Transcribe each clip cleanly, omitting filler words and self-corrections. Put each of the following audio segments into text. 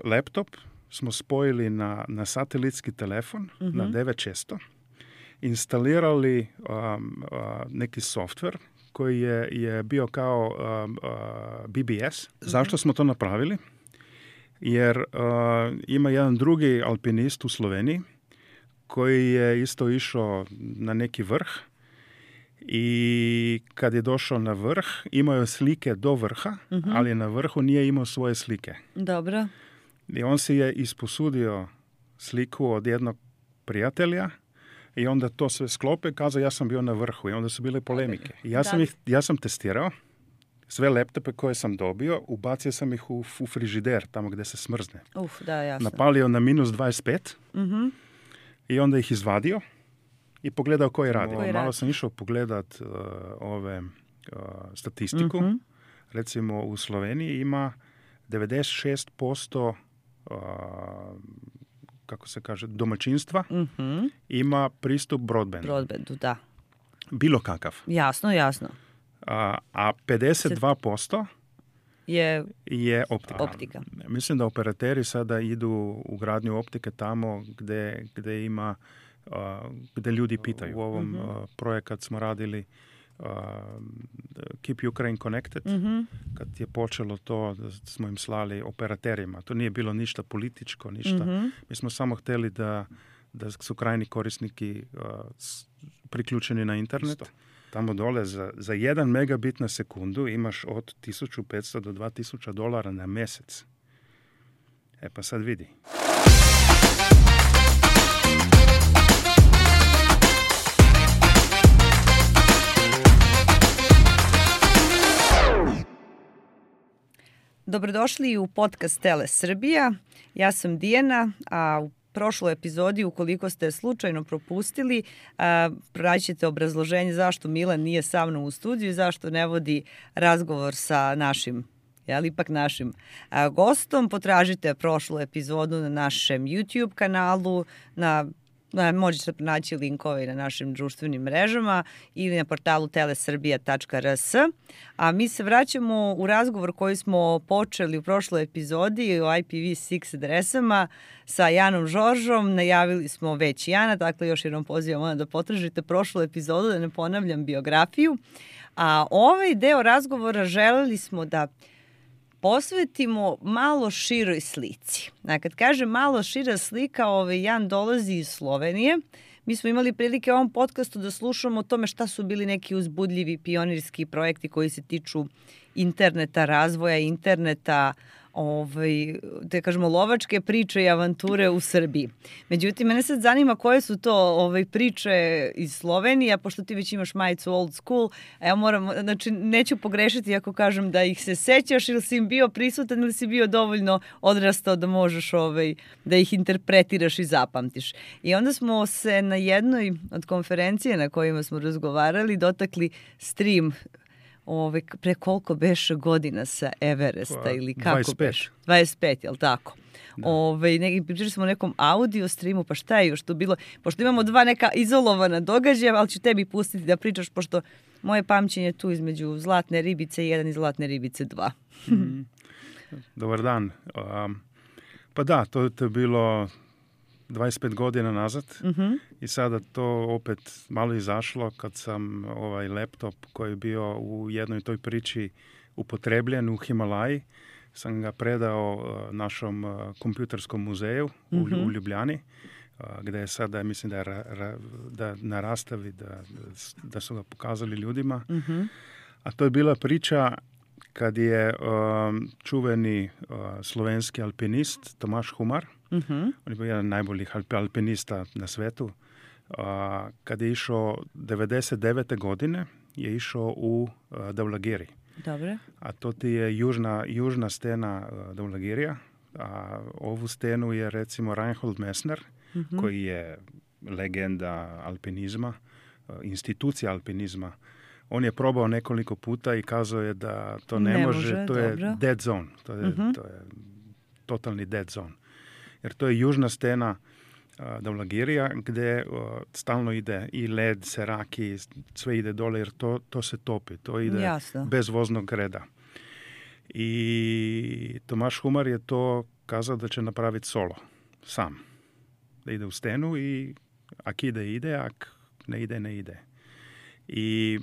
laptop smo spojili na satelitski telefon, na 9600, instalirali neki softver koji je bio kao BBS. Zašto smo to napravili? Jer ima jedan drugi alpinist u Sloveniji koji je isto išao na neki vrh i kad je došao na vrh, imao je slike do vrha, ali na vrhu nije imao svoje slike. Dobro. I on si je isposudio sliku od jednog prijatelja i onda to sve sklope i kazao ja sam bio na vrhu i onda su bile polemike. Ja sam testirao sve laptope koje sam dobio, ubacio sam ih u frižider, tamo gdje se smrzne. Da, jasno. Napalio na minus 25 i onda ih izvadio i pogledao koji radi. Malo sam išao pogledat statistiku. Recimo u Sloveniji ima 96% kako se kaže, domaćinstva ima pristup broadbandu. Broadbandu, da. Bilo kakav. Jasno. A 52% je optika. Mislim da operateri sada idu u gradnju optike tamo gdje ima, gdje ljudi pitaju. U ovom projekat smo radili Keep Ukraine Connected, kad je počelo to, da smo im slali operaterima. To nije bilo ništa političko, ništa. Mi smo samo htjeli da su krajni korisniki priključeni na internet. Tamo dole za 1 megabit na sekundu imaš od $1,500 do $2,000 na mjesec. Pa sad vidi. Dobrodošli u podcast Tele Srbija. Ja sam Dijana, a u prošloj epizodi, ukoliko ste slučajno propustili, praćite obrazloženje zašto Milan nije sa mnom u studiju i zašto ne vodi razgovor sa našim gostom. Potražite prošlu epizodu na našem YouTube kanalu, možete pronaći linkove na našim društvenim mrežama ili na portalu telesrbija.rs. A mi se vraćamo u razgovor koji smo počeli u prošloj epizodi o IPv6 adresama sa Janom Žoržom. Najavili smo već Jana, dakle još jednom pozivam da potražite prošlu epizodu, da ne ponavljam biografiju. A ovaj deo razgovora želeli smo da posvetimo malo široj slici. A kad kažem malo šira slika, Jan dolazi iz Slovenije. Mi smo imali prilike u ovom podcastu da slušamo o tome šta su bili neki uzbudljivi pionirski projekti koji se tiču interneta, razvoja interneta, da kažemo lovačke priče i avanture u Srbiji. Međutim, mene sad zanima koje su to priče iz Slovenije, pošto ti već imaš majicu old school, a ja neću pogrešiti ako kažem da ih se sećaš ili si im bio prisutan ili si bio dovoljno odrastao da možeš da ih interpretiraš i zapamtiš. I onda smo se na jednoj od konferencije na kojima smo razgovarali dotakli stream pre koliko beše godina sa Everesta ili kako 25. beš? 25, jel tako? Pričali smo o nekom audio streamu, pa šta je još tu bilo? Pošto imamo dva neka izolovana događaja, ali ću tebi pustiti da pričaš, pošto moje pamćenje je tu između Zlatne ribice 1 i Zlatne ribice 2. Dobar dan. Pa da, to je bilo 25 godina nazad i sada to opet malo izašlo kad sam ovaj laptop koji je bio u jednoj toj priči upotrebljen u Himalaji, sam ga predao našom kompjuterskom muzeju u Ljubljani, gdje je sada, mislim da na rastavi, da su ga pokazali ljudima. A to je bila priča kad je čuveni slovenski alpinist Tomaš Humar, on je bio jedan najboljih alpinista na svetu, kad je išao 99. godine, je išao u Davlagiri. Dobre. A to ti je južna stena Davlagirija. A ovu stenu je recimo Reinhold Messner, koji je legenda alpinizma, institucija alpinizma. On je probao nekoliko puta i kazao je da to ne može, to je dead zone, to je totalni dead zone. Jer to je južna stena Davlagirija gdje stalno ide i led, seraki, sve ide dole jer to se topi, to ide bez voznog reda. I Tomaš Humar je to kazao da će napraviti solo, sam. Da ide u stenu i ak ide, ak ne ide. I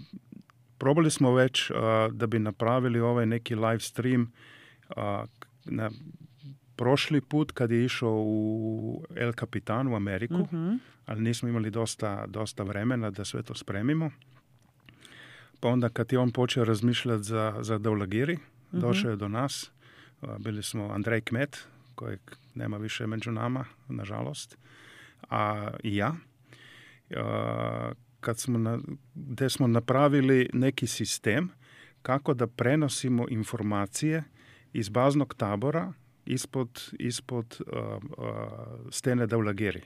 probali smo već da bi napravili ovaj neki live stream na prošli put kad je išao u El Capitan u Ameriku, ali nismo imali dosta vremena da sve to spremimo. Pa onda kad je on počeo razmišljati za Dhaulagiri, došao je do nas. Bili smo Andrej Kmet, kojeg nema više među nama, nažalost, a i ja. Gdje smo napravili neki sistem kako da prenosimo informacije iz baznog tabora ispod stene Dhaulagiri.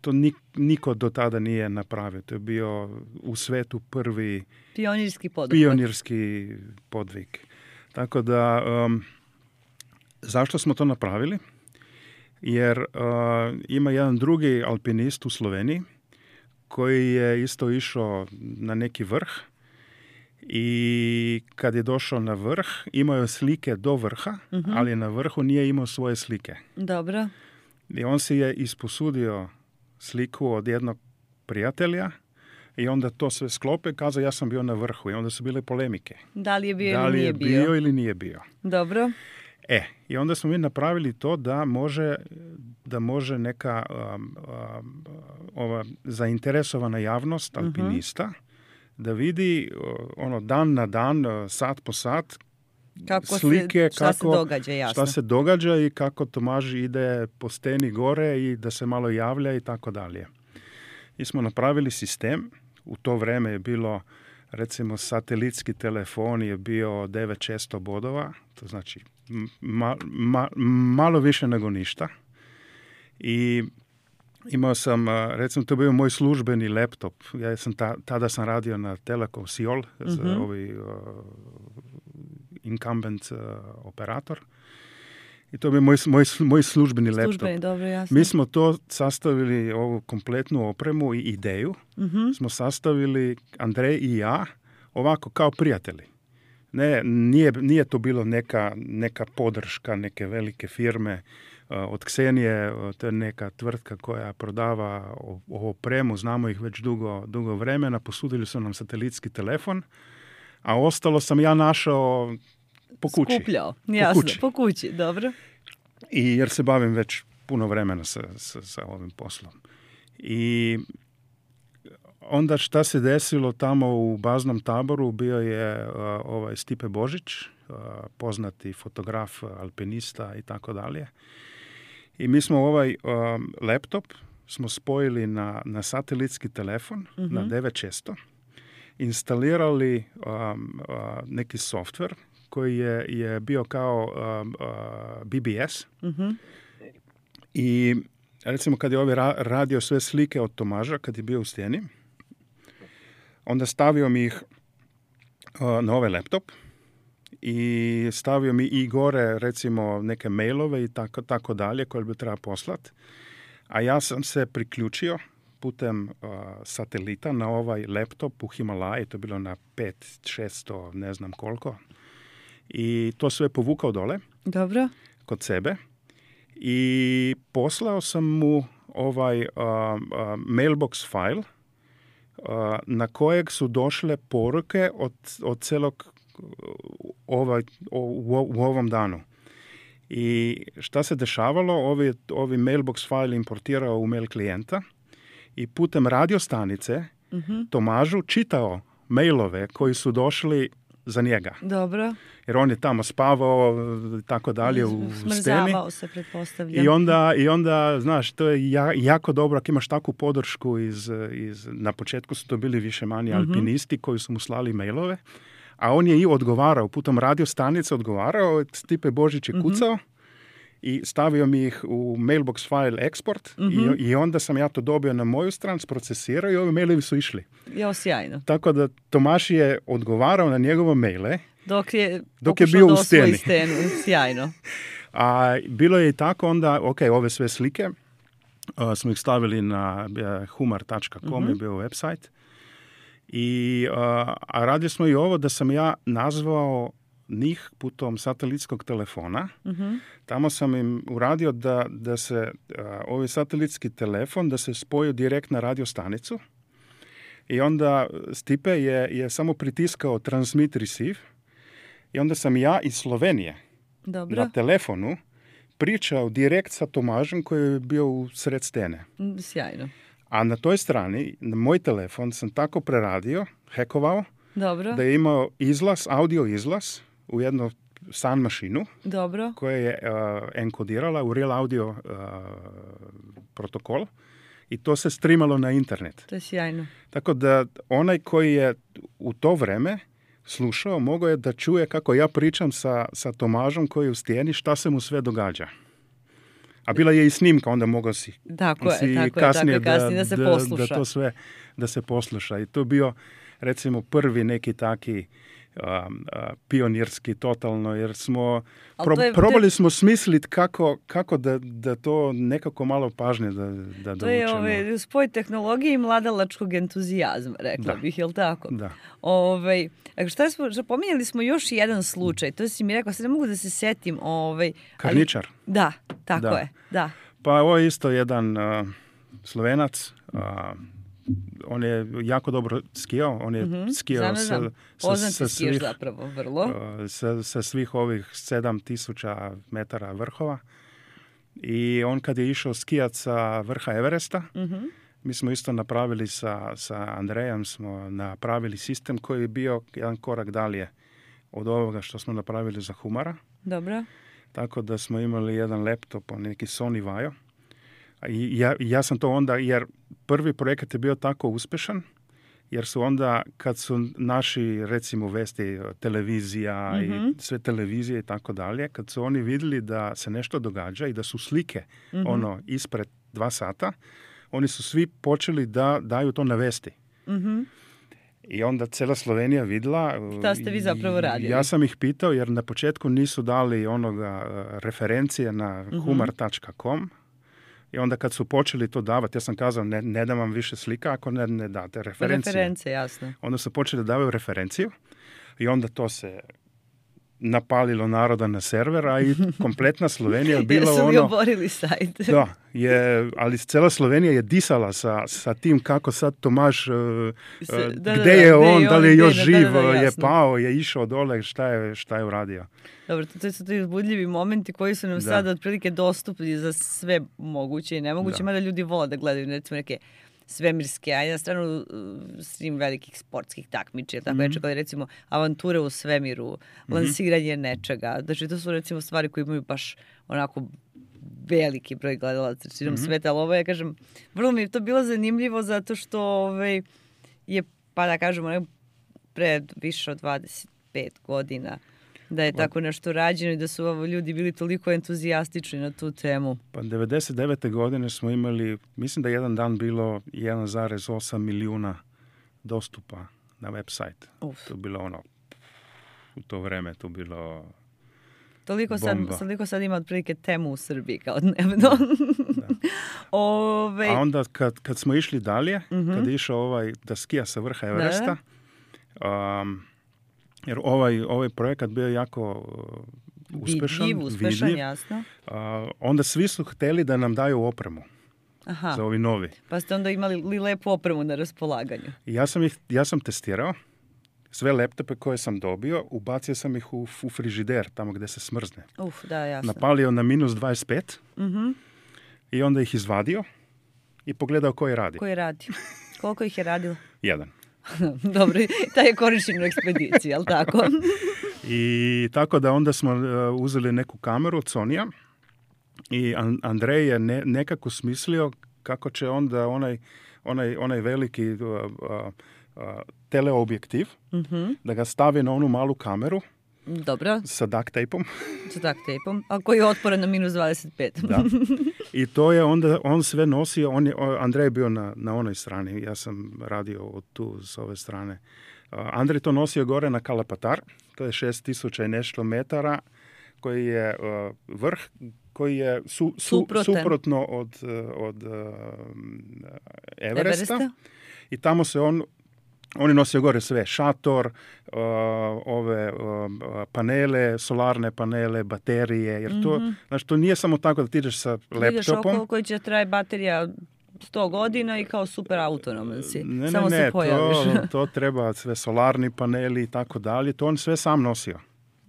To niko do tada nije napravio. To je bio u svetu prvi pionirski podvig. Tako da, zašto smo to napravili? Jer ima jedan drugi alpinist u Sloveniji koji je isto išao na neki vrh i kad je došao na vrh, imao je slike do vrha, ali na vrhu nije imao svoje slike. Dobro. I on si je isposudio sliku od jednog prijatelja i onda to sve sklope i kazao ja sam bio na vrhu i onda su bile polemike. Da li je bio ili nije bio. Dobro. I onda smo mi napravili to da može neka ova zainteresovana javnost alpinista da vidi dan na dan, sat po sat slike šta se događa i kako Tomaž ide po steni gore i da se malo javlja i tako dalje. I smo napravili sistem. U to vreme je bilo, recimo, satelitski telefon je bio 9600 bodova, to znači malo više nego ništa. I imao sam, recimo, to je bio moj službeni laptop. Ja sam tada sam radio na Telekom Seoul, incumbent operator. I to je moj službeni laptop. Dobro, jasno. Mi smo to sastavili, ovu kompletnu opremu i ideju. Smo sastavili, Andrej i ja, ovako kao prijatelji. Nije to bilo neka podrška, neke velike firme. Od Ksenije, to je neka tvrtka koja prodava opremu, znamo ih već dugo vremena, posudili su nam satelitski telefon, a ostalo sam ja našao po kući. Skupljao, jasno, po kući, dobro. I jer se bavim već puno vremena sa ovim poslom. I onda šta se desilo tamo u baznom taboru, bio je Stipe Božić, poznati fotograf, alpinista i tako dalje. I mi smo ovaj laptop smo spojili na satelitski telefon, na 9600, instalirali neki softver koji je bio kao BBS. I recimo kad je radio sve slike od Tomaža, kad je bio u steni, onda stavio mi ih na ovaj laptop i stavio mi i gore recimo neke mailove i tako dalje koje bi treba poslati. A ja sam se priključio putem satelita na ovaj laptop u Himalaji, to je bilo na 500-600, ne znam koliko. I to sve povukao dole. Dobro. Kod sebe. I poslao sam mu ovaj mailbox file na kojeg su došle poruke od celog u ovom danu. I šta se dešavalo? Ovi mailbox file importirao u mail klijenta i putem radiostanice Tomažu čitao mailove koji su došli za njega. Dobro. Jer on je tamo spavao i tako dalje u steni. Smrzavao se, pretpostavljam. I onda, znaš, to je jako dobro ako imaš takvu podršku na početku su to bili više manje alpinisti koji su mu slali mailove, a on je i odgovarao, putem radiostanice odgovarao, Stipe Božić je kucao i stavio mi ih u mailbox file export i onda sam ja to dobio na moju stranu, procesirao i ovi mailovi su išli. Jo, sjajno. Tako da Tomaš je odgovarao na njegove maile dok je bio u steni. Sjajno. A bilo je i tako onda, ove sve slike smo ih stavili na humar.com je bio website. A radili smo i ovo da sam ja nazvao njih putom satelitskog telefona. Tamo sam im uradio da se ovaj satelitski telefon da se spoju direkt na radio stanicu. I onda Stipe je samo pritiskao transmit receive. I onda sam ja iz Slovenije na telefonu pričao direkt sa Tomažem koji je bio u sred scene. Sjajno. A na toj strani, na moj telefon sam tako preradio, hekovao, da je imao audio izlaz u jednu sound mašinu koja je enkodirala u real audio protokol i to se streamalo na internet. To je sjajno. Tako da onaj koji je u to vreme slušao, mogao je da čuje kako ja pričam sa Tomažom koji je u stijeni, šta se mu sve događa. A bila je i snimka, onda mogao si kasnije da se posluša. Da to sve da se posluša. I to je bio, recimo, prvi neki taki pionirski totalno, jer smo probali smo smisliti kako da to nekako malo pažnje da to je spoj tehnologije i mladalačkog entuzijazma, rekla bih, je li tako? Da. Pominjali smo još jedan slučaj, to si mi rekao, sad ne mogu da se setim. Karničar. Da, tako je, da. Pa ovo je isto jedan Slovenac, on je jako dobro skijao, on je skijao sa svih ovih 7000 metara vrhova i on kad je išao skijat sa vrha Everesta, mi smo isto napravili sa Andrejem, smo napravili sistem koji je bio jedan korak dalje od ovoga što smo napravili za Humara. Dobro. Tako da smo imali jedan laptop, neki Sony Vaio. I ja sam to onda, jer prvi projekat je bio tako uspješan, jer su onda, kad su naši, recimo, vesti, televizija i sve televizije i tako dalje, kad su oni vidjeli da se nešto događa i da su slike ispred 2 sata, oni su svi počeli da daju to na vesti. I onda cijela Slovenija vidjela. Šta ste vi zapravo radili? Ja sam ih pitao, jer na početku nisu dali referencije na humor.com. I onda kad su počeli to davati, ja sam kazao, ne dam vam više slika ako ne date referencije. Referencije, jasno. Onda su počeli da davaju referenciju i onda to se napalilo naroda na server, a i kompletna Slovenija bila ono... Jesu li oborili sajt? Da, ali cijela Slovenija je disala sa tim kako sad Tomaž, gdje je on, da li je još živ, je pao, je išao dole, šta je uradio. Dobro, to su ti uzbudljivi momenti koji su nam sada otprilike dostupni za sve moguće i nemoguće, mada ljudi vole da gledaju, recimo, neke svemirske, a na stranu svim velikih sportskih takmičija, tako kao recimo avanture u svemiru, lansiranje nečega. Znači, to su recimo stvari koje imaju baš onako veliki broj gledalaca širom sveta, ali ovo je, kažem, vrlo mi je to bilo zanimljivo zato što je, pa da kažemo, pred više od 25 godina da je tako nešto rađeno i da su ljudi bili toliko entuzijastični na tu temu. Pa 99. godine smo imali, mislim da jedan dan bilo 1,8 milijuna dostupa na website. To je bilo u to vreme to bilo toliko sad ima otprilike temu u Srbiji kao dnevno. A onda kad smo išli dalje, kad je išao da skija sa vrha Everesta, jer ovaj projekat bio jako uspešan, vidljiv. Jasno. Onda svi su hteli da nam daju opremu za ovi novi. Pa ste onda imali lepu opremu na raspolaganju. Ja sam testirao sve laptope koje sam dobio, ubacio sam ih u frižider, tamo gdje se smrzne. Da, jasno. Napalio na minus 25 i onda ih izvadio i pogledao koji radi. Koji radi? Koliko ih je radilo? 1. Dobro, taj je korišten u ekspediciji, jel tako? I tako da onda smo uzeli neku kameru od Sonija i Andrej je nekako smislio kako će onda onaj veliki teleobjektiv da ga stavi na onu malu kameru. Dobro. Sa duct tapeom. A koji je otporan na minus 25. Da. I to je onda, on sve nosio, Andrej je bio na onoj strani, ja sam radio tu s ove strane. Andrej to nosio gore na Kalapatar, to je 6000 i nešto metara, koji je vrh, koji je suprotno od Everesta. I tamo se on Oni nosio gore sve, šator, ove panele, solarne panele, baterije, jer to, znači, to nije samo tako da ti ideš sa laptopom. Ideš okolo koji će traje baterija 100 godina i kao super autonoman si. Samo se pojaviš. To treba sve solarni paneli i tako dalje. To on sve sam nosio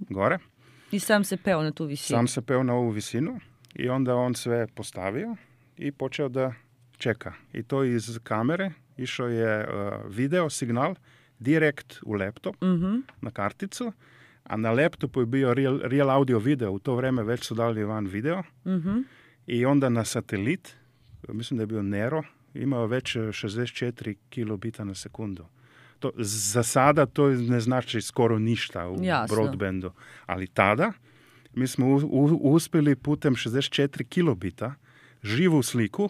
gore. I sam se peo na tu visinu. Sam se peo na ovu visinu i onda on sve postavio i počeo da čeka. I to iz kamere išao je video signal direkt u laptop na karticu, a na laptopu je bio real audio video. U to vreme već su dali van video. I onda na satelit, mislim da je bio Nero, imao već 64 kilobita na sekundu. To, za sada to ne znači skoro ništa u broadbandu. Ali tada mi smo uspjeli putem 64 kilobita živu sliku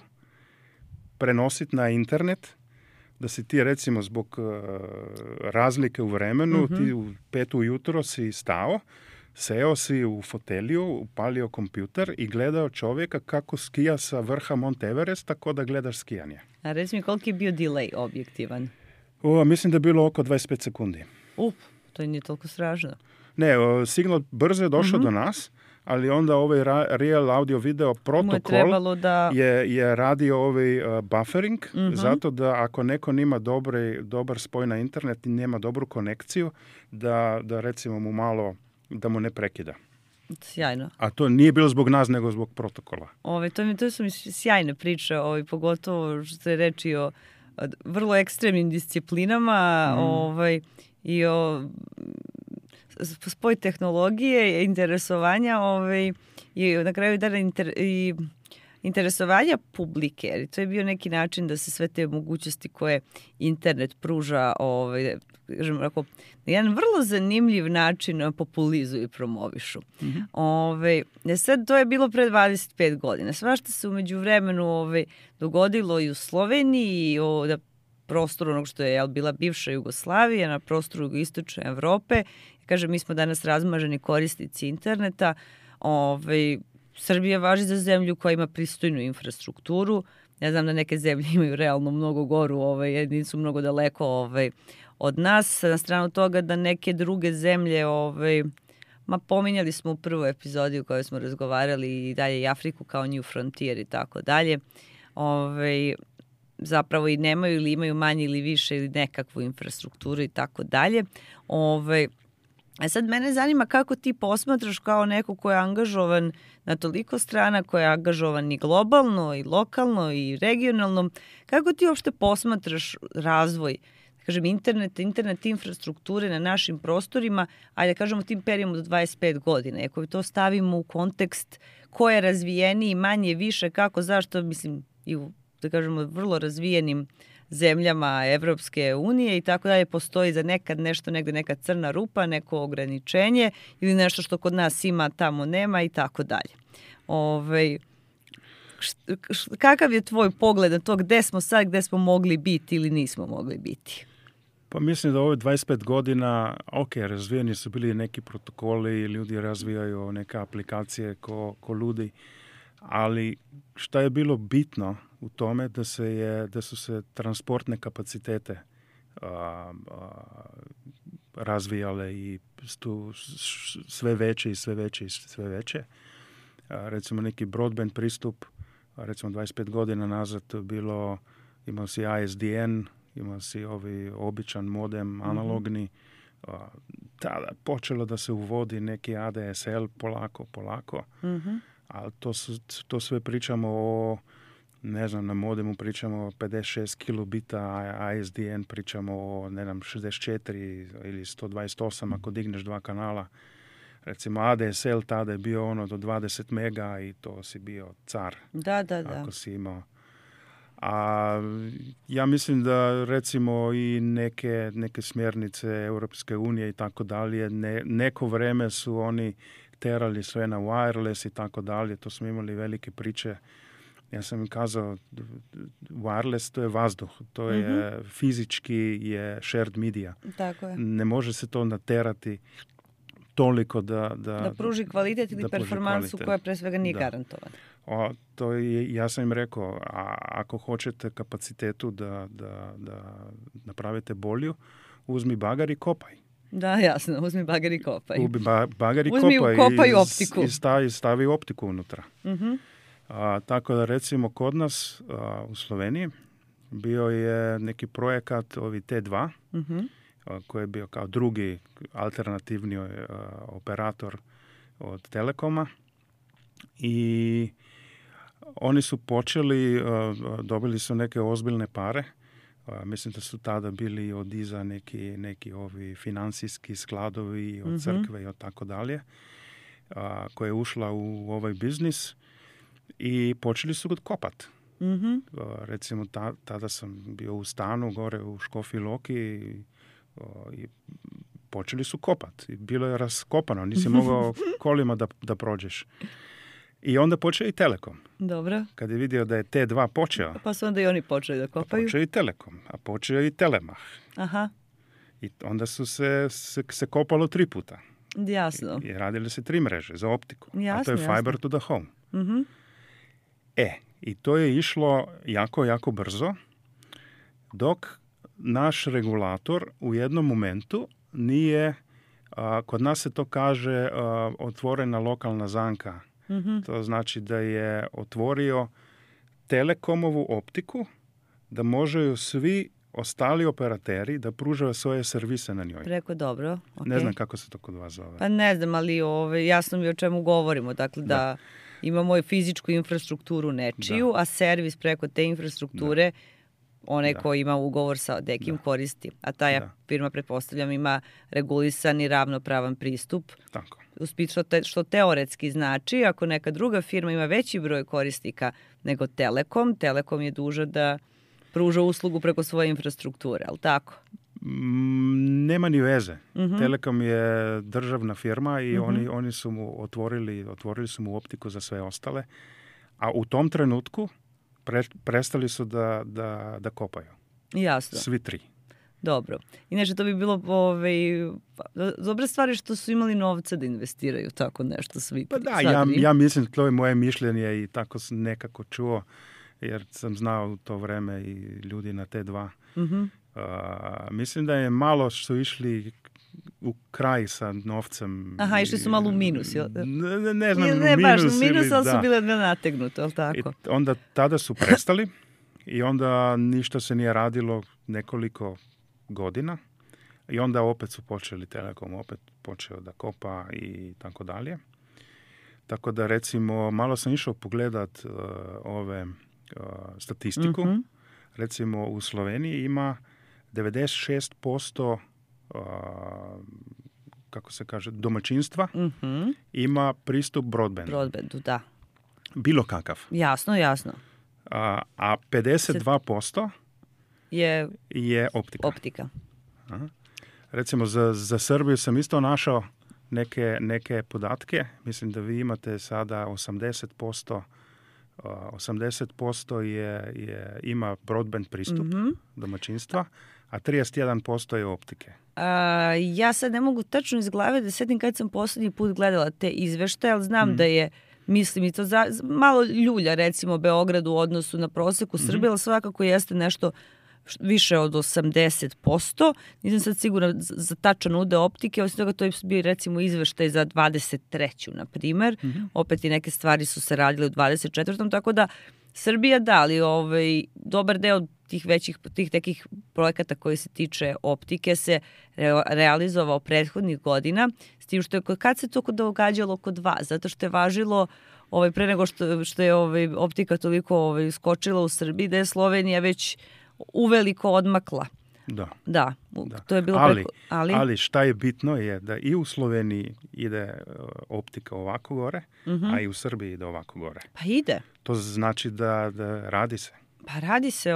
prenositi na internet, da si ti recimo zbog razlike u vremenu, ti u 5 ujutro si stao, seo si u fotelju, upalio kompjuter i gledao čovjeka kako skija sa vrha Mount Everesta, tako da gledaš skijanje. A reci mi, koliki je bio delay objektivan? Mislim da je bilo oko 25 sekundi. To nije toliko strašno. Ne, signal brzo je došao do nas, ali onda ovaj real audio video protokol je radio ovaj buffering, zato da ako neko nima dobar spoj na internet i nema dobru konekciju, da recimo mu malo, da mu ne prekida. Sjajno. A to nije bilo zbog nas, nego zbog protokola. To su mi sjajne priče, pogotovo što je reči o vrlo ekstremnim disciplinama i o spoj tehnologije, interesovanja i na kraju i interesovanja publike. Jer to je bio neki način da se sve te mogućnosti koje internet pruža na jedan vrlo zanimljiv način populizuju i promovišu. Sad to je bilo pre 25 godina. Svašta se umeđu vremenu dogodilo i u Sloveniji i na prostoru onog što je bila bivša Jugoslavija, na prostoru jugoistočne Evrope. Kažem, mi smo danas razmaženi korisnici interneta. Srbija važi za zemlju koja ima pristojnu infrastrukturu. Ja znam da neke zemlje imaju realno mnogo goru, nisu mnogo daleko od nas. Na stranu toga da neke druge zemlje, pominjali smo u prvoj epizodi u kojoj smo razgovarali i dalje i Afriku kao New Frontier i tako dalje. Zapravo i nemaju ili imaju manje ili više ili nekakvu infrastrukturu i tako dalje. Sad mene zanima kako ti posmatraš kao neko ko je angažovan na toliko strana, ko je angažovan i globalno, i lokalno, i regionalno. Kako ti uopšte posmatraš razvoj, kažem, internet infrastrukture na našim prostorima, ajde da kažemo tim periodom do 25 godina. Ako to stavimo u kontekst ko je razvijeniji, manje, više, kako, zašto, mislim, i u, da kažemo, vrlo razvijenim zemljama Evropske unije i tako dalje, postoji za nekad nešto negde, neka crna rupa, neko ograničenje ili nešto što kod nas ima, tamo nema i tako dalje. Kakav je tvoj pogled na to gde smo sad, gde smo mogli biti ili nismo mogli biti? Pa mislim da ove 25 godina, razvijeni su bili neki protokoli, ljudi razvijaju neke aplikacije ko ljudi, ali šta je bilo bitno u tome da su se transportne kapacitete razvijale i sve veće i sve veće i sve veće. Recimo neki broadband pristup, recimo 25 godina nazad bilo, imao si ISDN, imao si običan modem analogni, tada počelo da se uvodi neki ADSL polako. Ali to sve pričamo o, ne znam, na modemu pričamo o 56 kilobita, a ISDN pričamo o, 64 ili 128 ako digneš 2 kanala. Recimo ADSL tada je bio do 20 mega i to si bio car. Da. Ako si imao. A ja mislim da recimo i neke smjernice Europske unije i tako dalje, neko vreme su oni terali sve na wireless i tako dalje, to smo imali velike priče. Ja sam im kazao, wireless to je vazduh, to je fizički je shared media. Tako je. Ne može se to naterati toliko da pruži kvalitet ili performansu koja pre svega nije garantovana. Ja sam im rekao, ako hoćete kapacitetu da napravite bolju, uzmi bager i kopaj. Da, jasno, uzmi bager i kopaj. Uzmi ukopaj optiku. I stavi optiku unutra. Tako da recimo kod nas u Sloveniji bio je neki projekat ovi T2, koji je bio kao drugi alternativni operator od Telekoma i oni su počeli, dobili su neke ozbiljne pare. Mislim da su tada bili od iza neki ovi financijski skladovi od crkve i od tako dalje, koja je ušla u ovaj biznis i počeli su kopat. Recimo tada sam bio u stanu gore u Škofji Loki i počeli su kopat. Bilo je raskopano, nisi mogao kolima da prođeš. I onda počeo i Telekom. Dobro. Kad je vidio da je T2 počeo. Pa su onda i oni počeli da kopaju. Počeo i Telekom, a počeo i Telemach. Aha. I onda su se kopalo 3 puta. Jasno. I radili se 3 mreže za optiku. Jasno, a to je fiber jasno. to the home. I to je išlo jako, jako brzo, dok naš regulator u jednom momentu nije, kod nas se to kaže, otvorena lokalna zanka. To znači da je otvorio Telekomovu optiku, da možeju svi ostali operateri da pružaju svoje servise na njoj. Preko dobro. Okay. Ne znam kako se to kod vas zove. Pa ne znam, ali jasno mi o čemu govorimo. Dakle, da imamo fizičku infrastrukturu nečiju, a servis preko te infrastrukture onaj ko ima ugovor sa nekim koristi. A ta firma, pretpostavljam, ima regulisan i ravnopravan pristup. Tako. Što teoretski znači, ako neka druga firma ima veći broj korisnika nego Telekom, Telekom je dužan da pruža uslugu preko svoje infrastrukture, ali tako? Nema ni veze. Telekom je državna firma i oni su mu otvorili su mu optiku za sve ostale, a u tom trenutku prestali su da kopaju. Jasno. Svi 3. Dobro. Inače, to bi bilo dobre stvari što su imali novca da investiraju tako nešto svi. Pa da, ja mislim, to je moje mišljenje i tako sam nekako čuo, jer sam znao u to vreme i ljudi na T2. Mislim da je malo što išli u kraj sa novcem. Aha, išli su malo u minus. Ne znam, ne baš u minus, ali su bile nategnuto, ali tako? I onda tada su prestali i onda ništa se nije radilo nekoliko godina i onda opet su počeli Telekom, opet počeo da kopa i tako dalje. Tako da recimo, malo sam išao pogledat statistiku. Recimo u Sloveniji ima 96% kako se kaže, domaćinstva ima pristup broadbandu. Broadbandu, da. Bilo kakav. Jasno. A 52% je optika. Aha. Recimo za Srbiju sam isto našao neke podatke. Mislim da vi imate sada 80% ima broadband pristup domaćinstva, a 31% je optike. Ja sad ne mogu tačno iz glave da setim kad sam poslednji put gledala te izveštaje, ali znam da je, mislim, i to malo ljulja, recimo, Beograd u odnosu na proseku Srbije, ali svakako jeste nešto više od 80%. Nisam sad sigurna za tačan udeo optike, osim toga to je bio recimo izveštaj za 23. na primer. Opet i neke stvari su se radile u 24. Tako da Srbija ali dobar deo tih nekih projekata koji se tiče optike se realizovao prethodnih godina, s tim što je kad se to događalo kod vas, zato što je važilo pre nego što je optika toliko skočila u Srbiji, da je Slovenija već uveliko odmakla. Da. To je bilo ali šta je bitno je da i u Sloveniji ide optika ovako gore, a i u Srbiji ide ovako gore. Pa ide. To znači da radi se. Pa radi se,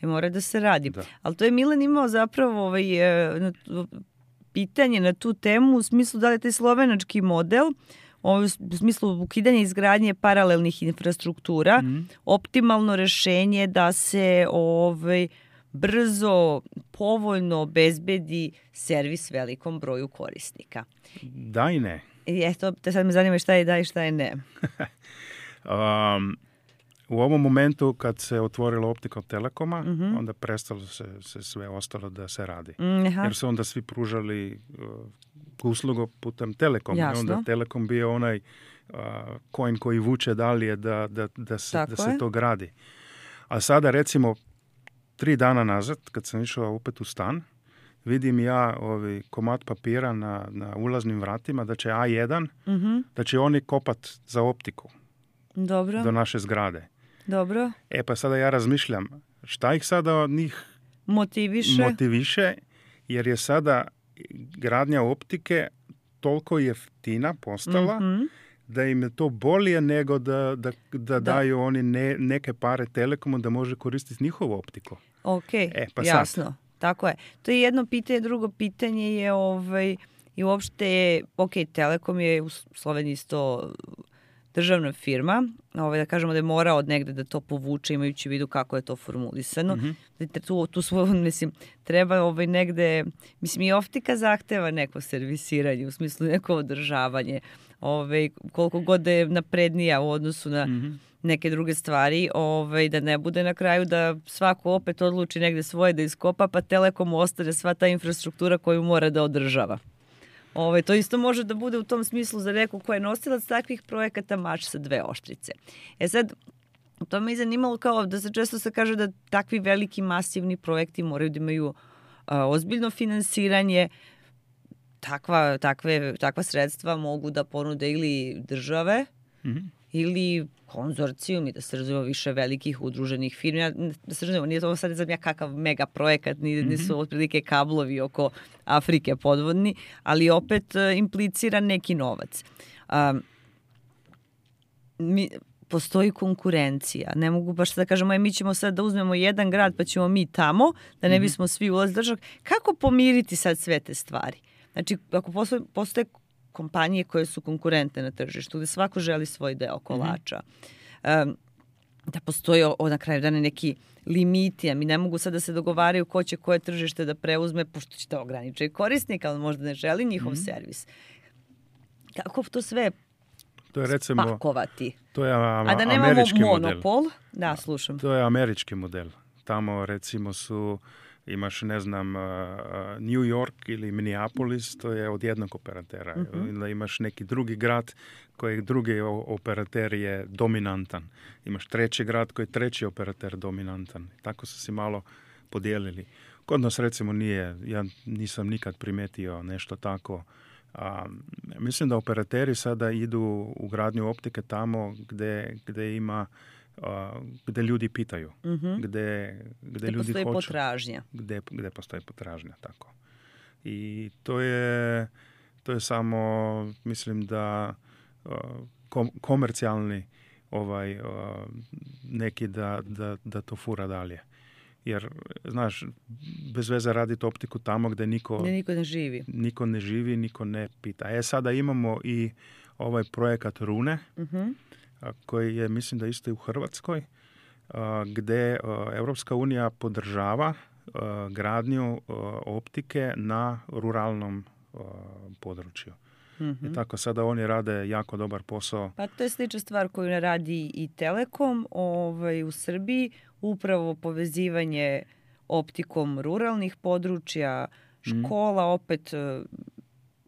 mora da se radi. Ali to je Milan imao zapravo pitanje na tu temu u smislu da li je taj slovenački model u smislu ukidanja izgradnje paralelnih infrastruktura optimalno rešenje da se brzo, povoljno obezbedi servis velikom broju korisnika. Da i ne. I eto, te sad me zanima šta je da i šta je ne. U ovom momentu kad se otvorilo Optical Telekoma, onda prestalo se sve ostalo da se radi. Jer su onda svi pružali uslugu putem Telekoma. I onda Telekom bio onaj coin koji vuče dalje da se to gradi. A sada recimo 3 dana nazad, kad sam išao opet u stan, vidim ja komad papira na ulaznim vratima da će A1, da će oni kopat za optiku. Dobro. Do naše zgrade. Dobro. Pa sada ja razmišljam, šta ih sada od njih motiviše, jer je sada gradnja optike toliko jeftina postala, da im je to bolje nego da daju oni neke pare Telekomu da može koristiti njihovu optiku. Ok, pa jasno. Sad. Tako je. To je jedno pitanje. Drugo pitanje je i uopšte, Telekom je u Sloveniji isto državna firma, da kažemo da je morao od negde da to povuče, imajući u vidu kako je to formulisano. Tu treba negde, i optika zahteva neko servisiranje, u smislu neko održavanje, koliko god da je naprednija u odnosu na neke druge stvari, da ne bude na kraju da svako opet odluči negde svoje da iskopa, pa Telekomu ostane sva ta infrastruktura koju mora da održava. To isto može da bude u tom smislu za neko ko je nosilac takvih projekata mač sa 2 oštrice. Sad, to me je zanimalo kao da se često se kaže da takvi veliki masivni projekti moraju da imaju ozbiljno finansiranje. Takva sredstva mogu da ponude ili države ili konzorcijum i da se razumemo više velikih udruženih firmi. Da se razumemo, nije to sad ne znam ja kakav mega projekat, nisu otprilike kablovi oko Afrike podvodni, ali opet implicira neki novac. Postoji konkurencija. Ne mogu baš da kažemo, mi ćemo sad da uzmemo jedan grad pa ćemo mi tamo, da ne bismo svi ulazili držav. Kako pomiriti sad sve te stvari? Znači, ako postoje kompanije koje su konkurentne na tržištu, gde svako želi svoj deo kolača, da postoji na kraju dana neki limiti, a mi ne mogu sad da se dogovaraju ko će koje tržište da preuzme, pošto će to ograničiti korisnika, ali možda ne želi njihov servis. Kako to sve spakovati? To je a da nemamo monopol? Da, slušam. To je američki model. Tamo recimo imaš, ne znam, New York ili Minneapolis, to je od jednog operatera. Ili imaš neki drugi grad koji drugi operater je dominantan. Imaš treći grad koji je treći operater dominantan. Tako su se malo podijelili. Kod nas recimo ja nisam nikad primetio nešto tako. Mislim da operateri sada idu u gradnju optike tamo gde ima gde ljudi pitaju, gde ljudi hoće. Potražnja. Gde postoji potražnja, tako. I to je samo, mislim da komercijalni neki da to fura dalje. Jer, znaš, bez veze raditi optiku tamo gde niko ne živi. Niko ne živi, niko ne pita. Sada imamo i ovaj projekat Rune, koji je, mislim da isto i u Hrvatskoj, gde Evropska unija podržava gradnju optike na ruralnom području. I tako sada oni rade jako dobar posao. Pa to je slična stvar koju ne radi i Telekom u Srbiji, upravo povezivanje optikom ruralnih područja, škola, opet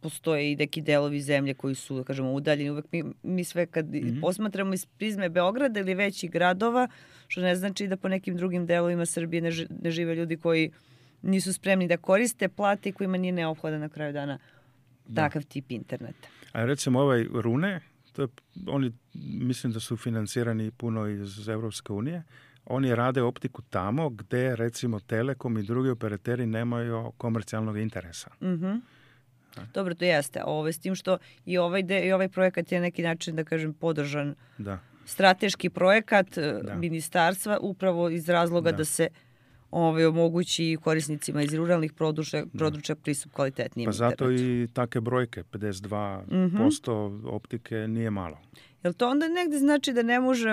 postoje i neki delovi zemlje koji su, da kažemo, udaljeni. Uvek mi sve kad posmatramo iz prizme Beograda ili većih gradova, što ne znači da po nekim drugim delovima Srbije ne žive ljudi koji nisu spremni da koriste plate i kojima nije neophodan na kraju dana takav tip interneta. A recimo ovaj Rune, oni mislim da su financirani puno iz Evropske unije. Oni rade optiku tamo gde recimo Telekom i drugi operateri nemaju komercijalnog interesa. Dobro, to jeste. S tim što i ovaj projekat je neki način, da kažem, podržan strateški projekat ministarstva upravo iz razloga da se omogući korisnicima iz ruralnih područja pristup kvalitetnijim internetu. Pa zato i take brojke, 52% optike nije malo. Jel to onda negde znači da ne može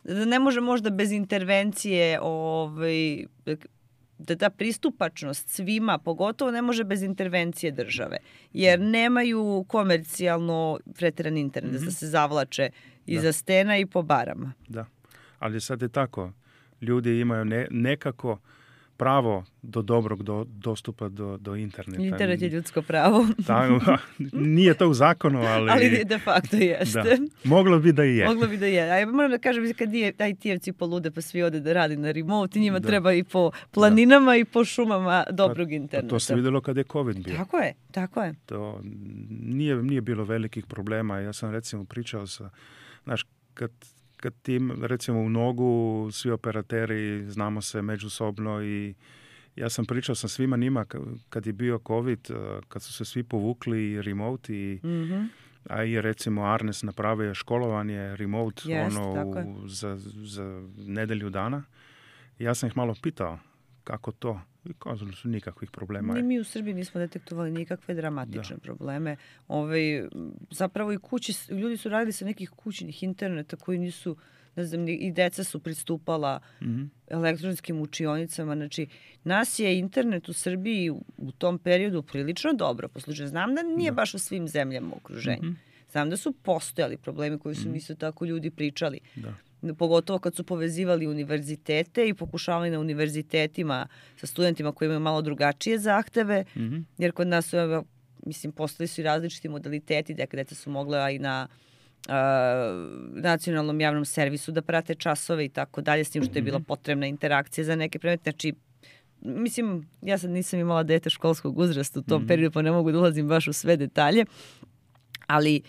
da ne može možda bez intervencije da ta pristupačnost svima, pogotovo ne može bez intervencije države, jer nemaju komercijalno pretiran internet da se zavlače iza stena i po barama. Da, ali sad je tako. Ljudi imaju nekako pravo do dobrog dostupa do interneta. Internet je ljudsko pravo. Nije to u zakonu, ali de facto jeste. Da. Moglo bi da i je. Moglo bi da je. A ja moram da kažem, kad IT-evci polude pa svi ode da radi na remote, njima treba i po planinama i po šumama dobrog interneta. To se vidjelo kad je COVID bio. Tako je. To nije bilo velikih problema. Ja sam recimo pričao sa, znaš, kad tim, recimo u Nogu, svi operateri znamo se međusobno i ja sam pričao sa svima njima kad je bio COVID, kad su se svi povukli remote a i recimo Arnes napravio školovanje remote za nedelju dana. Ja sam ih malo pitao kako to. I kazali su nikakvih problema. Ni mi u Srbiji nismo detektovali nikakve dramatične probleme. Zapravo i ljudi su radili sa nekih kućnih interneta koji nisu, ne znam, i deca su pristupala elektronskim učionicama. Znači, nas je internet u Srbiji u tom periodu prilično dobro poslužio. Znam da nije baš u svim zemljama u okruženju. Znam da su postojali problemi koji su isto tako ljudi pričali. Da. Pogotovo kad su povezivali univerzitete i pokušavali na univerzitetima sa studentima koji imaju malo drugačije zahteve, jer kod nas su, postoji su i različiti modaliteti, deca su mogla i na nacionalnom javnom servisu da prate časove i tako dalje, s tim što je bila potrebna interakcija za neke predmete. Znači, ja sad nisam imala dete školskog uzrasta u tom periodu, pa ne mogu da ulazim baš u sve detalje, ali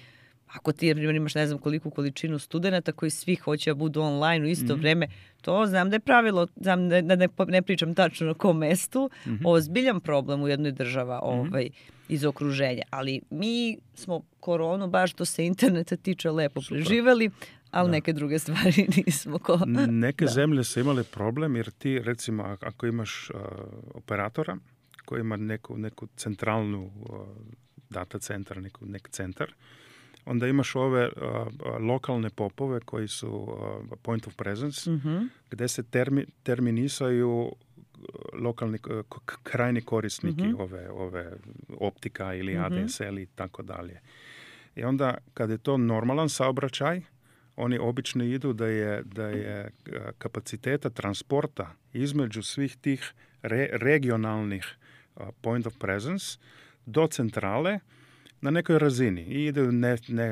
ako ti imaš ne znam koliku količinu studenta koji svi hoće da budu online u isto vreme, to znam da je pravilo, znam da ne pričam tačno na kom mestu, ozbiljan problem u jednoj država iz okruženja. Ali mi smo koronu baš što se interneta tiče lepo preživeli, ali neke druge stvari nismo. Neke zemlje su imale problem jer ti recimo ako imaš operatora koji ima neku centralnu data centar, neki centar, onda imaš ove lokalne popove koji su point of presence, gdje se terminisaju lokalni krajni korisniki ove optika ili ADSL i tako dalje. I onda kad je to normalan saobraćaj, oni obično idu da je kapaciteta transporta između svih tih regionalnih point of presence do centrale na nekoj razini. I ide,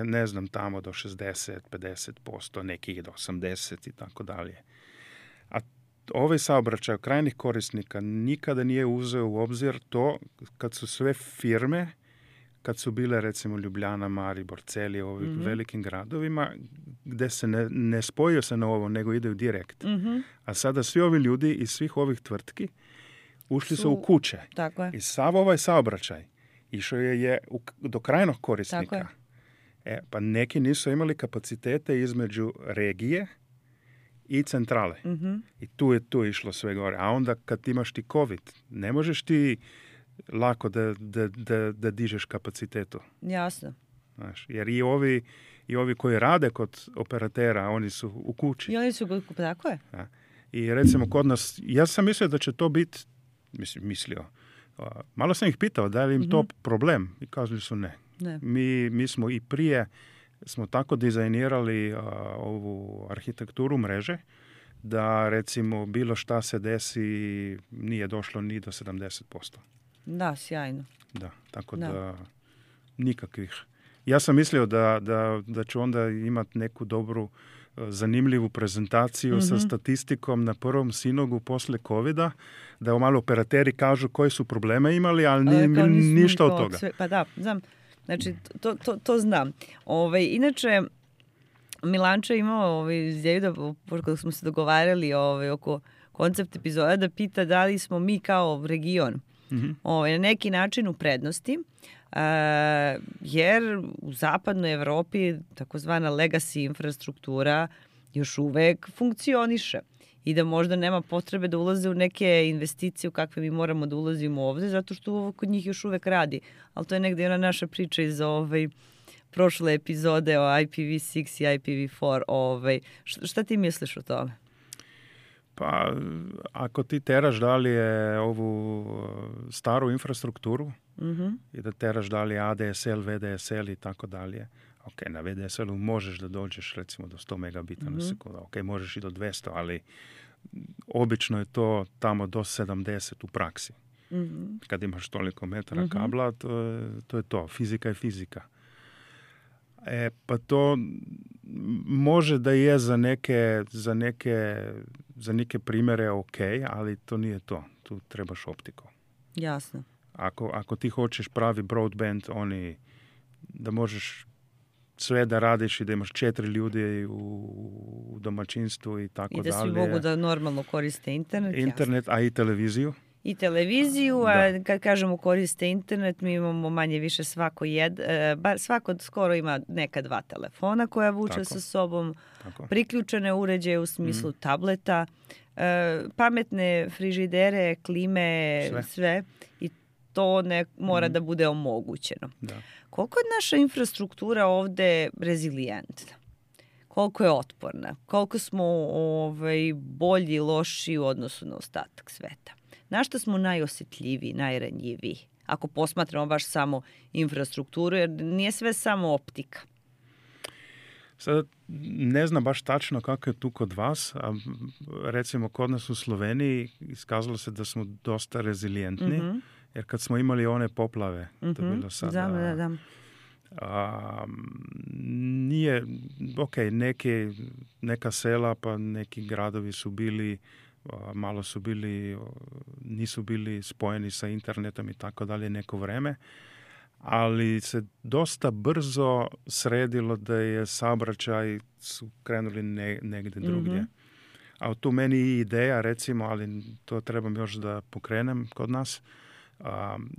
ne znam, tamo do 60-50%, neki ide do 80% i tako dalje. A ovaj saobraćaj krajnjih korisnika nikada nije uzeo u obzir to kad su sve firme, kad su bile recimo Ljubljana, Maribor, Celje, ovim velikim gradovima, gdje se ne spojio se na ovo, nego ide direkt. A sada svi ovi ljudi iz svih ovih tvrtki ušli su u kuće. I sav ovaj saobraćaj išao je do krajnog korisnika. Pa neki nisu imali kapacitete između regije i centrale. I tu je išlo sve gore. A onda kad imaš ti COVID, ne možeš ti lako da dižeš kapacitetu. Jasno. Znaš, jer i ovi koji rade kod operatera, oni su u kući. I oni su u kući, tako je. Ja. I recimo kod nas, ja sam mislio da će to biti, malo sam ih pitao da li im to problem i kazali su ne. Mi smo i prije smo tako dizajnirali ovu arhitekturu mreže da recimo bilo šta se desi nije došlo ni do 70%. Da, sjajno. Da, tako da nikakvih. Ja sam mislio da ću onda imati neku dobru zanimljivu prezentaciju sa statistikom na prvom sinogu posle COVID-a, da malo operateri kažu koje su probleme imali, ali ništa od toga. Pa da, znam. Znači, to znam. Inače, Milančo je imao izjavu kada smo se dogovarali oko koncept epizoda da pita da li smo mi kao region na neki način u prednosti, jer u zapadnoj Evropi takozvana legacy infrastruktura još uvek funkcioniše i da možda nema potrebe da ulaze u neke investicije u kakve mi moramo da ulazimo ovde, zato što ovo kod njih još uvek radi. Ali to je negde ona naša priča iz prošle epizode o IPv6 i IPv4. Šta ti misliš o tome? Pa, ako ti teraš dalje ovu staru infrastrukturu i da teraš dalje ADSL, VDSL i tako dalje, ok, na VDSL-u možeš da dođeš recimo do 100 megabita na sekundu, ok, možeš i do 200, ali obično je to tamo do 70 u praksi. Kad imaš toliko metara kabla, to je to. Fizika je fizika. Pa to može da je za neke primjere ok, ali to nije to. Tu trebaš optiku. Jasno. Ako ti hoćeš pravi broadband, da možeš sve da radiš i da imaš 4 ljudi u domaćinstvu i tako dalje. I da svi mogu da normalno koriste internet. Internet, a i televiziju. I televiziju, a kad kažemo koriste internet, mi imamo manje više svako skoro ima neka 2 telefona koja vuče sa sobom, priključene uređaje u smislu tableta, pametne frižidere, klime, sve. I to mora da bude omogućeno. Da. Koliko je naša infrastruktura ovde rezilijentna? Koliko je otporna? Koliko smo bolji, loši u odnosu na ostatak sveta? Na što smo najosjetljiviji, najranjiviji? Ako posmatramo baš samo infrastrukturu, jer nije sve samo optika. Sad, ne znam baš tačno kako je tu kod vas, a recimo kod nas u Sloveniji iskazalo se da smo dosta rezilijentni, jer kad smo imali one poplave, to je bilo sada... Nije, ok, neka sela pa neki gradovi su bili, malo su bili, nisu bili spojeni sa internetom i tako dalje neko vreme, ali se dosta brzo sredilo da je saobraćaj su krenuli negdje drugdje. A tu meni i ideja, recimo, ali to trebam još da pokrenem kod nas,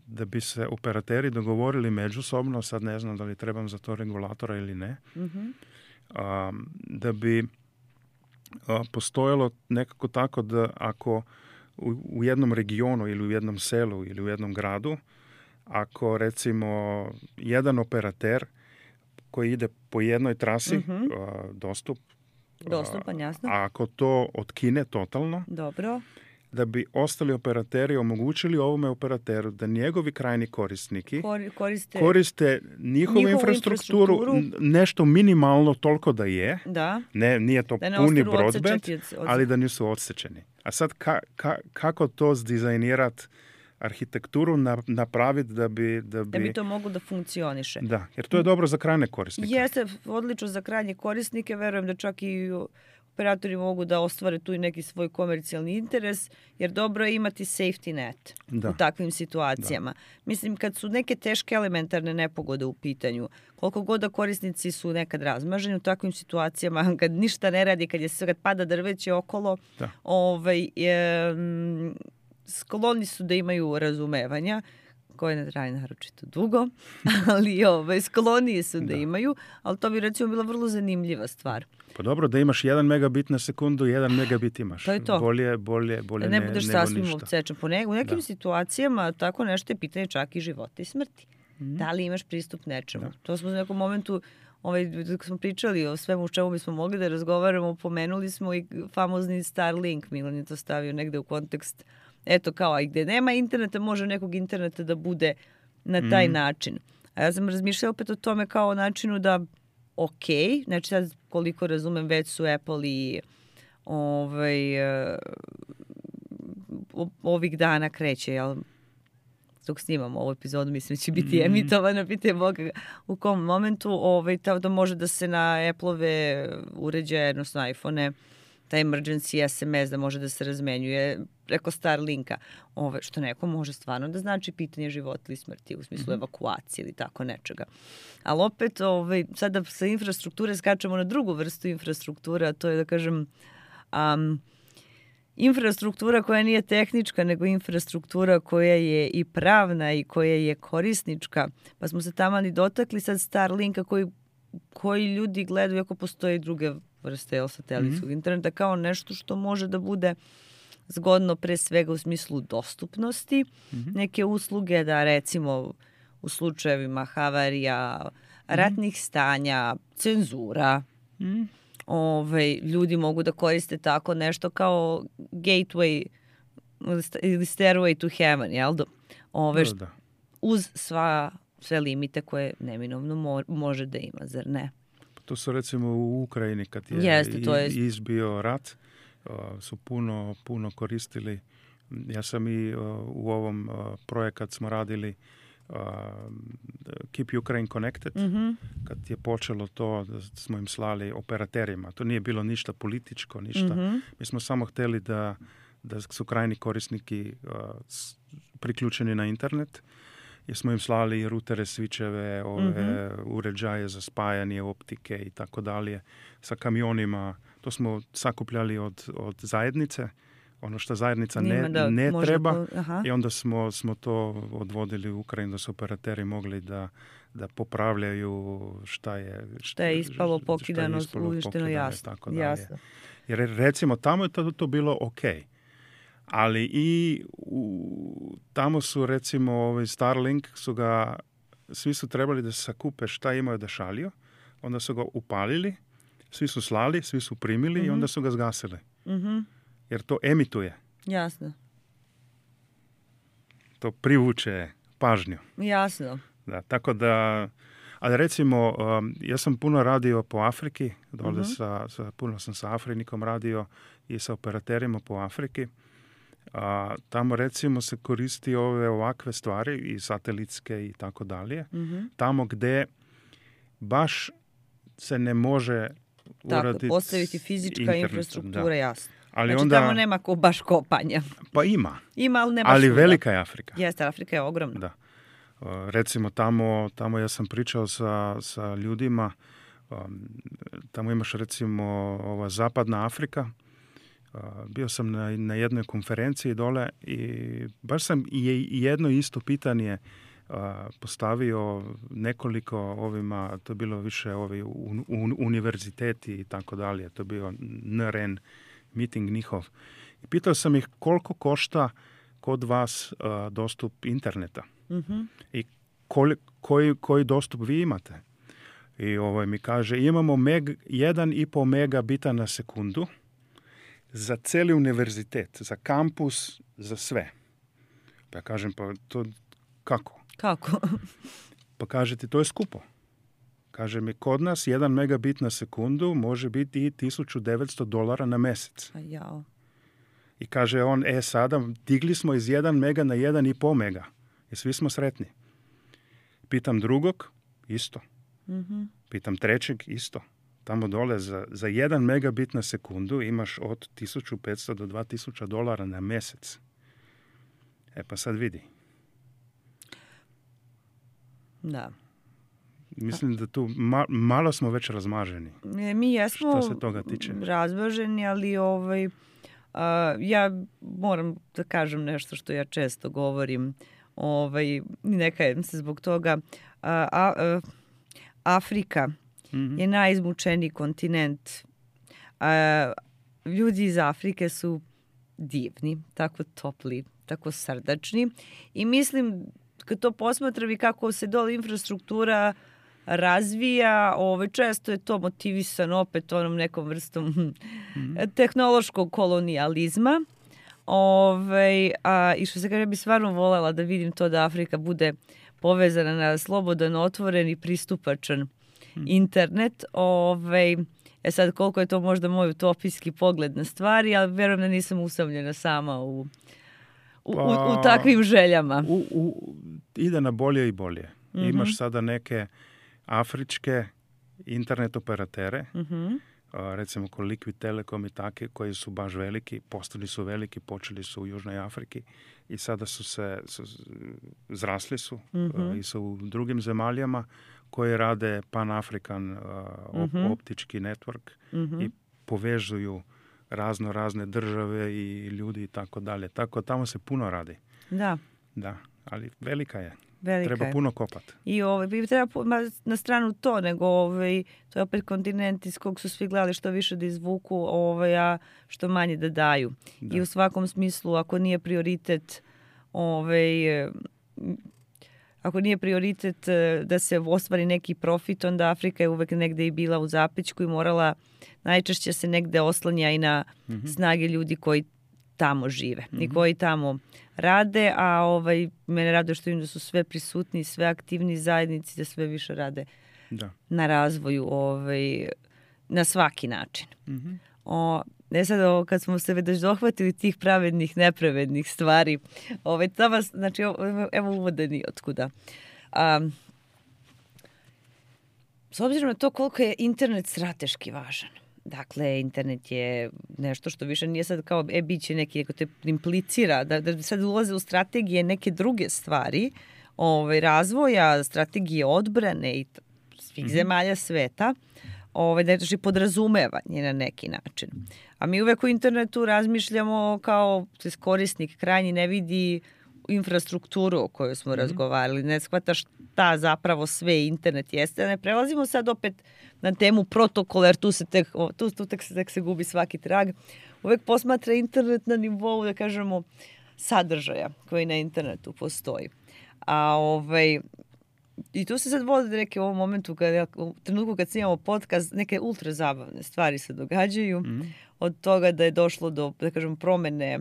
da bi se operateri dogovorili međusobno, sad ne znam da li trebam za to regulatora ili ne, da bi postojalo nekako tako da ako u jednom regionu ili u jednom selu ili u jednom gradu, ako recimo jedan operater koji ide po jednoj trasi, dostupan, jasno. A ako to otkine totalno, dobro, da bi ostali operateri omogućili ovome operateru da njegovi krajni korisniki koriste njihovu infrastrukturu nešto minimalno toliko da je. Da. Nije to puni broadband, ali da nisu odsečeni. A sad kako to zdizajnirati arhitekturu napraviti da bi to moglo da funkcioniše. Da, jer to je dobro za krajne korisnike. Jeste odlično za krajnje korisnike, verujem da čak i operatori mogu da ostvare tu i neki svoj komercijalni interes, jer dobro je imati safety net u takvim situacijama. Mislim, kad su neke teške elementarne nepogode u pitanju, koliko god da korisnici su nekad razmaženi u takvim situacijama, kad ništa ne radi, kad pada drveće okolo, skloni su da imaju razumevanja, koje ne traje naročito dugo, ali skloniji su da imaju, ali to bi recimo bila vrlo zanimljiva stvar. Pa dobro, da imaš 1 megabit na sekundu, 1 megabit imaš. To je to. Bolje da ne budeš sasvim odsečen. U nekim situacijama tako nešto je pitanje čak i života i smrti. Da li imaš pristup nečemu? To smo u nekom momentu, dok smo pričali o svemu u čemu bismo mogli da razgovaramo, pomenuli smo i famozni Starlink. Milan je to stavio negde u kontekst. Eto kao, i gde nema interneta, može nekog interneta da bude na taj način. A ja sam razmišljala opet o tome kao o načinu da, ok, znači sad koliko razumem, već su Apple i ovih dana kreće, jel? Dok snimamo ovu epizodu, mislim da će biti emitovana, pitanje Boga u kom momentu, da može da se na Apple-ove uređaje, odnosno iPhone-e, taj emergency SMS da može da se razmenjuje preko Starlinka, što neko može stvarno da znači pitanje života ili smrti u smislu evakuacije ili tako nečega. Ali opet, sada sa infrastrukture skačemo na drugu vrstu infrastrukture, a to je, da kažem, infrastruktura koja nije tehnička, nego infrastruktura koja je i pravna i koja je korisnička. Pa smo se tamo ni dotakli sad Starlinka koji ljudi gledaju, ako postoje druge vrste satelitskog interneta, kao nešto što može da bude zgodno pre svega u smislu dostupnosti neke usluge, da recimo u slučajevima havarija ratnih stanja, cenzura. Ljudi mogu da koriste tako nešto kao gateway ili stairway to heaven, jel da? Uz sve limite koje neminovno može da ima, zar ne? To su recimo u Ukrajini kad je izbio rat, su puno koristili. Ja sam i u ovom projekat smo radili Keep Ukraine Connected, kad je počelo to da smo im slali operaterima. To nije bilo ništa političko, ništa. Mi smo samo htjeli da su krajni korisniki priključeni na internet, jer smo im slali rutere, svičeve, uređaje za spajanje optike i tako dalje, sa kamionima. To smo sakupljali od zajednice, ono što zajednica ne treba, i onda smo to odvodili u Ukrajinu da su operateri mogli da popravljaju šta je ispalo, pokidano, uništeno, jasno. Jer recimo tamo je to bilo ok. Ali i tamo su recimo Starlink svi su trebali da se sakupe šta imaju da šalju, onda su ga upalili, svi su slali, svi su primili i onda su ga zgasili. Jer to emituje. Jasno. To privuče pažnju. Jasno. Da, tako da, ali recimo, ja sam puno radio po Afriki, dole puno sam sa Afrinikom radio i sa operaterima po Afriki. Tamo recimo se koristi ovakve stvari i satelitske i tako dalje. Tamo gde baš se ne može uraditi postaviti fizička infrastruktura, jasno. Ali znači onda, tamo nema baš kopanja. Pa ima. Ima, ali ne baš ali velika je Afrika. Jeste, Afrika je ogromna. Da. Recimo tamo ja sam pričao sa ljudima, tamo imaš recimo ova zapadna Afrika. Bio sam na jednoj konferenciji dole i baš sam jedno isto pitanje postavio nekoliko ovima, to je bilo više univerziteti i tako dalje, to je bio NRN meeting njihov. I pitao sam ih koliko košta kod vas dostup interneta i koji dostup vi imate. I mi kaže, imamo 1,5 megabita na sekundu za cijeli univerzitet, za kampus, za sve. Pa ja kažem, pa to kako? Kako? Pa kažete, to je skupo. Kaže mi, kod nas 1 megabit na sekundu može biti i $1,900 na mjesec. Jao. I kaže on, sada digli smo iz 1 mega na 1,5 mega. I svi smo sretni. Pitam drugog, isto. Pitam trećeg, isto. Tamo dole za 1 megabit na sekundu imaš od $1,500 do $2,000 na mjesec. Pa sad vidi. Da. Mislim da tu malo smo već razmaženi. Mi jesmo što se toga tiče. Razmaženi, ali ja moram da kažem nešto što ja često govorim. Ne kajem se zbog toga. Afrika je najizmučeniji kontinent. Ljudi iz Afrike su divni, tako topli, tako srdačni. I mislim, kad to posmatram i kako se dole infrastruktura razvija, često je to motivisano opet onom nekom vrstom tehnološkog kolonijalizma. I što se kaže, bi stvarno voljela da vidim to da Afrika bude povezana na slobodan, otvoren i pristupačan internet. Sad koliko je to možda moj utopijski pogled na stvari, ali verujem da nisam usamljena sama u takvim željama. Ide na bolje i bolje. Imaš sada neke afričke internet operatere, recimo ko Liquid Telecom i take, koji su baš veliki, postali su veliki, počeli su u Južnoj Afriki i sada zrasli su i su u drugim zemaljama koje rade Pan-African optički network i povezuju razne države i ljudi i tako dalje. Tako tamo se puno radi. Da, ali velika je. Treba puno kopati. I treba na stranu to, nego to je opet kontinent iz kog su svi gledali što više da izvuku, a što manje da daju. Da. I u svakom smislu, ako nije prioritet ako nije prioritet da se ostvari neki profit, onda Afrika je uvek negde i bila u zapećku i morala, najčešće se negde oslanja i na snage ljudi koji tamo žive i koji tamo rade, a mene raduje što im da su sve prisutni, sve aktivni zajednici, da sve više rade na razvoju na svaki način. Sad, kad smo se već dohvatili tih pravednih, nepravednih stvari, znači, evo uvode ni otkuda. S obzirom na to koliko je internet strateški važan, dakle, internet je nešto što više nije sad kao biće neki, neko te implicira, da sad ulaze u strategije neke druge stvari, razvoja, strategije odbrane i svih zemalja sveta, znači podrazumevanje na neki način. A mi uvek u internetu razmišljamo kao korisnik krajnji ne vidi infrastrukturu o kojoj smo razgovarali, ne shvata šta zapravo sve internet jeste. Ne prelazimo sad opet na temu protokola, jer tu tek se gubi svaki trag. Uvek posmatra internet na nivou, da kažemo, sadržaja koji na internetu postoji. I tu se sad vode neke u ovom momentu, u trenutku kad snimamo podcast, neke ultra zabavne stvari se događaju. Od toga da je došlo do, da kažem, promene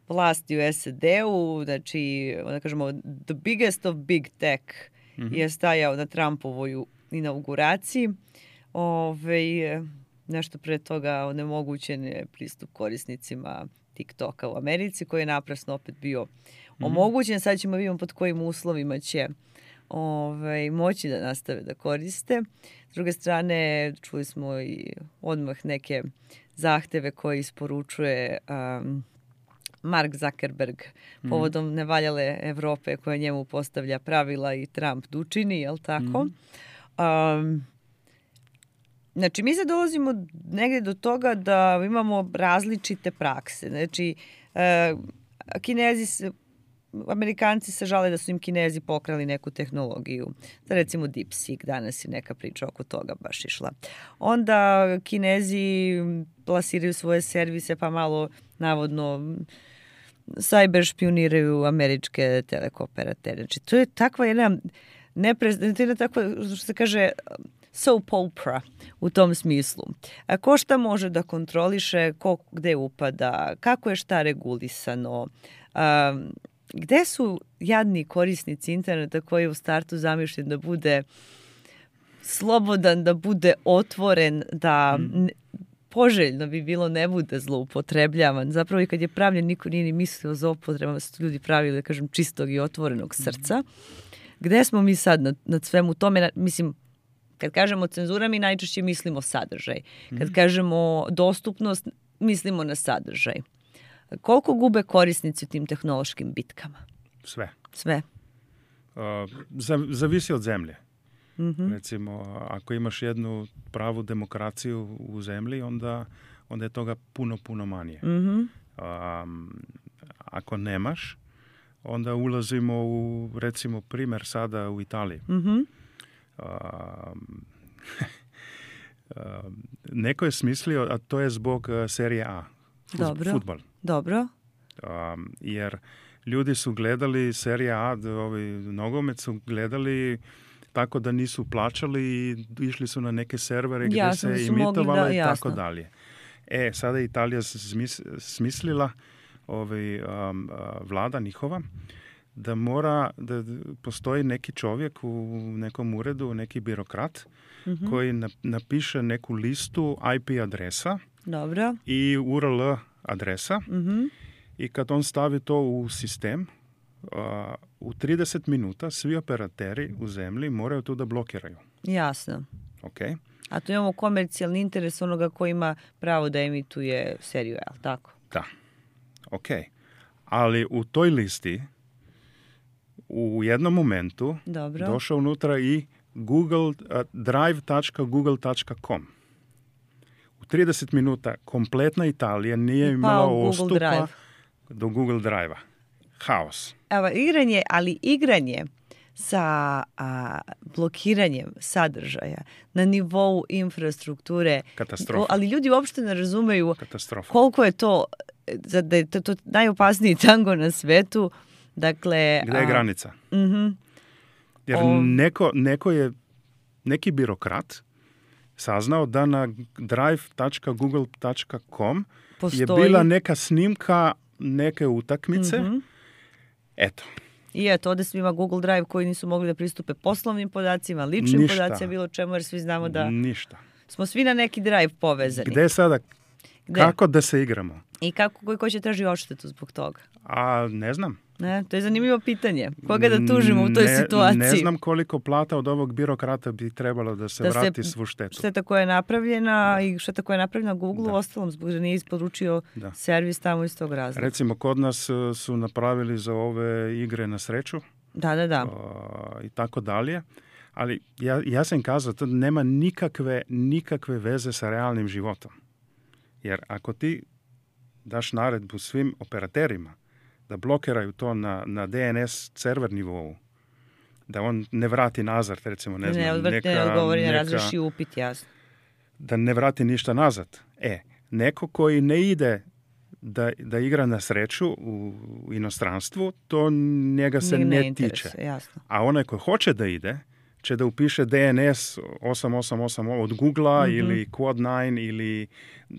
vlasti u SAD-u, znači, da kažemo, the biggest of big tech je stajao na Trumpovoj inauguraciji. Nešto pre toga onemogućen je pristup korisnicima TikToka u Americi, koji je naprasno opet bio omogućen. Sad ćemo vidjeti pod kojim uslovima će moći da nastave da koriste. S druge strane, čuli smo i odmah neke zahteve koje isporučuje Mark Zuckerberg povodom nevaljale Evrope koja njemu postavlja pravila i Trump učini, jel tako? Znači, mi sad dolazimo negdje do toga da imamo različite prakse. Znači, Amerikanci se žale da su im Kinezi pokrali neku tehnologiju. Recimo DeepSeek, danas je neka priča oko toga baš išla. Onda Kinezi plasiraju svoje servise pa malo navodno cyber špioniraju američke telekooperatere. Znači, to je takva jedna što se kaže soap opera u tom smislu. A ko šta može da kontroliše, ko gde upada, kako je šta regulisano, gde su jadni korisnici interneta koji je u startu zamišljen da bude slobodan, da bude otvoren, da poželjno bi bilo ne bude zloupotrebljavan. Zapravo i kad je pravljen, niko nije ni mislio za upotrebama, su ljudi pravili, da kažem, čistog i otvorenog srca. Gde smo mi sad nad svemu tome? Mislim, kad kažemo cenzura, mi najčešće mislimo sadržaj. Kad kažemo dostupnost, mislimo na sadržaj. Koliko gube korisnici u tim tehnološkim bitkama? Sve. Zavisi od zemlje. Recimo, ako imaš jednu pravu demokraciju u zemlji, onda je toga puno manje. Ako nemaš, onda ulazimo u, recimo, primjer sada u Italiji. Neko je smislio, a to je zbog serije A. Fudbal. Dobro. Jer ljudi su gledali serije A, nogomet su gledali tako da nisu plaćali i išli su na neke servere gdje se imitovalo i tako dalje. Sada je Italija smislila vlada njihova da da postoji neki čovjek u nekom uredu, neki birokrat koji napiše neku listu IP adresa i URL adresa i kad on stavi to u sistem, u 30 minuta svi operateri u zemlji moraju to da blokiraju. Jasno. Okay. A tu imamo komercijalni interes onoga koji ima pravo da emituje seriju, je li tako? Da. Ok. Ali u toj listi u jednom momentu došao unutra i drive.google.com. U 30 minuta kompletna Italija nije imala ostupa do Google Drive-a. Haos. Evo, igranje sa blokiranjem sadržaja na nivou infrastrukture. Katastrofa. Ali ljudi uopšte ne razumeju koliko je to, da je to najopasniji tango na svetu. Dakle, gde je granica? Jer neki birokrat saznao da na drive.google.com je bila neka snimka neke utakmice. Eto. I eto, ovdje svima Google Drive koji nisu mogli da pristupe poslovnim podacima, ličnim podacima, bilo čemu, jer svi znamo da smo svi na neki Drive povezani. Gde sada? Kako da se igramo? I ko će traži odštetu zbog toga? A ne znam. Ne, to je zanimljivo pitanje. Koga da tužimo u toj situaciji? Ne znam koliko plata od ovog birokrata bi trebalo da se vrati svu štetu. Šteta koja je napravljena i šteta koja je napravljena Google, ostalom zbog da nije isporučio servis tamo iz tog razloga. Recimo, kod nas su napravili za ove igre na sreću. Da. I tako dalje. Ali ja sam kazao, to nema nikakve veze sa realnim životom. Jer ako ti daš naredbu svim operaterima da blokiraju to na DNS server nivou, da on ne vrati nazad, recimo, ne razreši upit, jasno. Da ne vrati ništa nazad. Neko koji ne ide da igra na sreću u inostranstvu, to njega se ne tiče. Jasno. A onaj koji hoće da ide, će da upiše DNS 888 od Googlea ili Quad9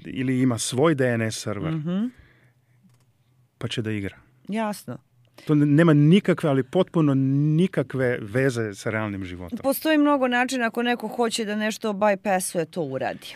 ili ima svoj DNS server, pa će da igra. Jasno. To nema nikakve, ali potpuno nikakve veze sa realnim životom. Postoji mnogo načina ako neko hoće da nešto bypassuje, to uradi.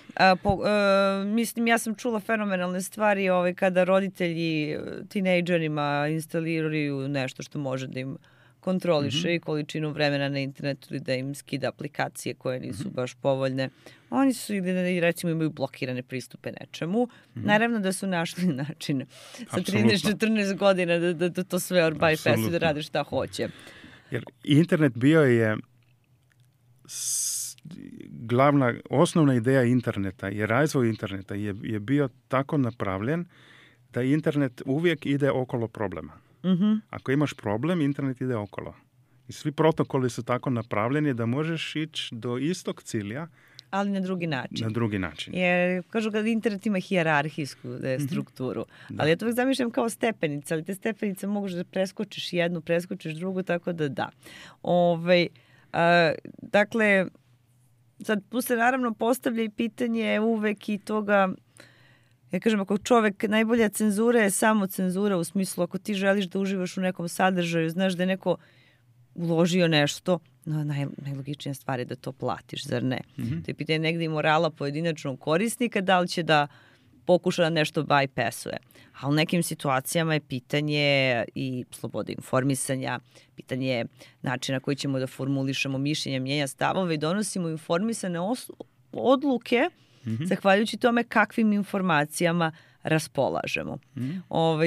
Mislim, ja sam čula fenomenalne stvari kada roditelji tinejdžerima instaliraju nešto što može da im kontroliše i količinu vremena na internetu ili da im skida aplikacije koje nisu baš povoljne. Oni su ili recimo imaju blokirane pristupe nečemu. Naravno da su našli način sa 13-14 godina da to sve bypassu, da rade šta hoće. Jer internet bio je osnovna ideja interneta i razvoj interneta je bio tako napravljen da internet uvijek ide okolo problema. Ako imaš problem, internet ide okolo. I svi protokoli su tako napravljeni da možeš ići do istog cilja, ali na drugi način. Jer kažu da internet ima hijerarhijsku strukturu. Ali ja to uvijek zamišljam kao stepenice, ali te stepenice možeš da preskočiš jednu, preskočiš drugu, tako da. Dakle, sad tu se naravno postavlja i pitanje uvek i toga. Ja kažem, ako čovek, najbolja cenzura je samo cenzura, u smislu ako ti želiš da uživaš u nekom sadržaju, znaš da je neko uložio nešto, najlogičnija stvar je da to platiš, zar ne? To je pitanje negdje i morala pojedinačnog korisnika, da li će da pokuša da nešto bypassuje. A u nekim situacijama je pitanje i slobode informisanja, pitanje načina koji ćemo da formulišemo mišljenja, mnjenja, stavove i donosimo informisane odluke zahvaljujući tome kakvim informacijama raspolažemo.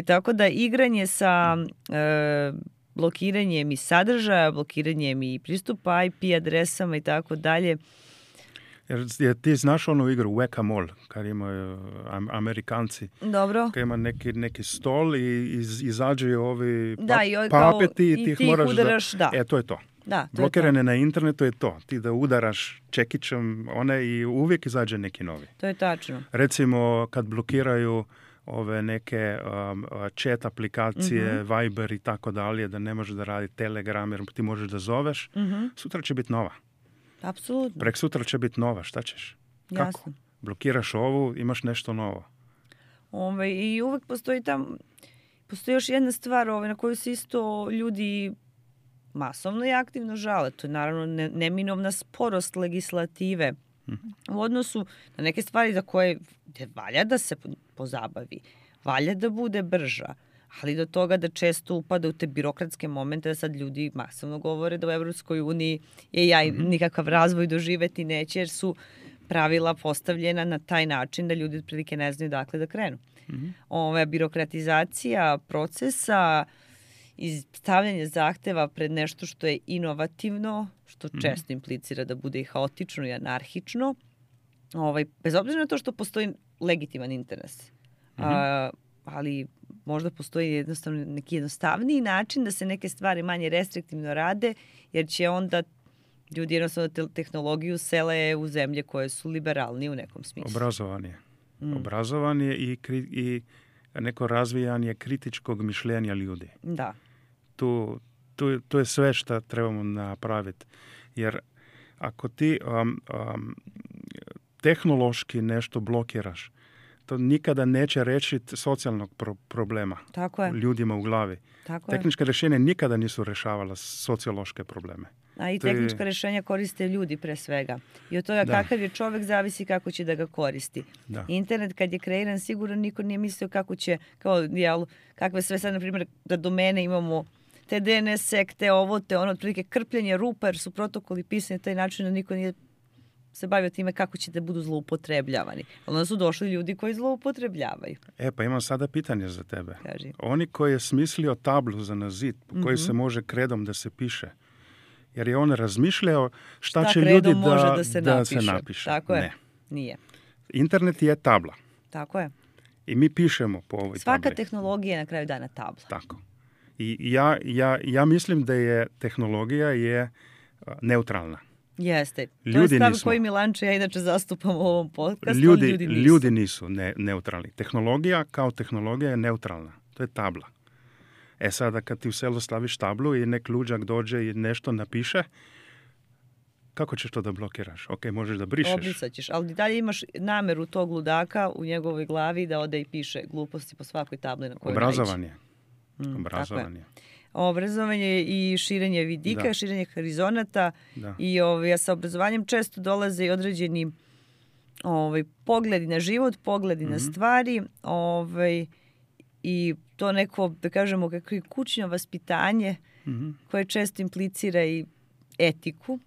Tako da igranje sa blokiranjem i sadržaja, blokiranjem i pristupa IP adresama i tako dalje. Jer ti znaš onu igru Whack-A-Mole, kad imaju Amerikanci. Dobro. Kad ima neki stol i izađe ovi papeti i ti ih moraš udaraš, to je to. Da, blokirane na internetu je to. Ti da udaraš čekićem i uvijek izađe neki novi. To je tačno. Recimo kad blokiraju ove neke chat aplikacije, Viber i tako dalje, da ne možeš da radi Telegram jer ti možeš da zoveš, sutra će biti nova. Apsolutno. Prek sutra će biti nova, šta ćeš? Kako? Jasno. Blokiraš ovu, imaš nešto novo. I uvek postoji još jedna stvar na koju se isto ljudi masovno i aktivno žale. To je naravno neminovna sporost legislative u odnosu na neke stvari za koje valja da se pozabavi, valja da bude brža, ali do toga da često upada u te birokratske momente da sad ljudi masovno govore da u Evropskoj uniji je nikakav razvoj doživeti neće jer su pravila postavljena na taj način da ljudi otprilike ne znaju dakle da krenu. Birokratizacija procesa i stavljanje zahteva pred nešto što je inovativno, što često implicira da bude i haotično i anarhično, bez obzira na to što postoji legitiman interes. Ali možda postoji jednostavno neki jednostavniji način da se neke stvari manje restriktivno rade, jer će onda ljudi jednostavno tehnologiju sele u zemlje koje su liberalnije u nekom smislu. Obrazovanje i neko razvijanje kritičkog mišljenja ljudi. Da. Tu to je sve što trebamo napraviti. Jer ako ti tehnološki nešto blokiraš, to nikada neće rešiti socijalnog problema ljudima u glavi. Tehnička rješenja nikada nisu rešavala sociološke probleme. A i tehnička rješenja koriste ljudi pre svega. I od toga kakav je čovjek zavisi kako će da ga koristi. Da. Internet kad je kreiran sigurno niko nije mislio kako će, kakve sve sad, na primjer, da domene imamo te DNS sekte, ovo, te ono, otprilike krpljenje rupa, jer su protokoli pisani na taj način da niko nije se bavio time kako će da budu zloupotrebljavani. Onda su došli ljudi koji zloupotrebljavaju. Pa imam sada pitanje za tebe. Kaži. Oni koji je smislio tablu za zid, po kojoj se može kredom da se piše, jer je on razmišljao šta će ljudi da se napiše. Tako je. Ne. Nije. Internet je tabla. Tako je. I mi pišemo po ovoj Svaka tabli. tehnologija je na kraju dana tabla. Tako. I ja mislim da je tehnologija je neutralna. Jeste. Ljudi to je stav nismo. koji Milanče ja inače zastupam u ovom podcastu. Ljudi nisu neutralni. Tehnologija kao tehnologija je neutralna. To je tabla. Sada kad ti u selo staviš tablu i nek luđak dođe i nešto napiše, kako ćeš to da blokiraš? Ok, možeš da brišeš. Obrisat ćeš, ali dalje imaš nameru tog ludaka u njegovoj glavi da ode i piše gluposti po svakoj tabli na kojoj Obrazovanje. Obrazovanje i širenje vidika, širenje horizonata i sa obrazovanjem često dolaze i određeni pogledi na život, pogledi na stvari i to neko, da kažemo, kako je kućno vaspitanje koje često implicira i etiku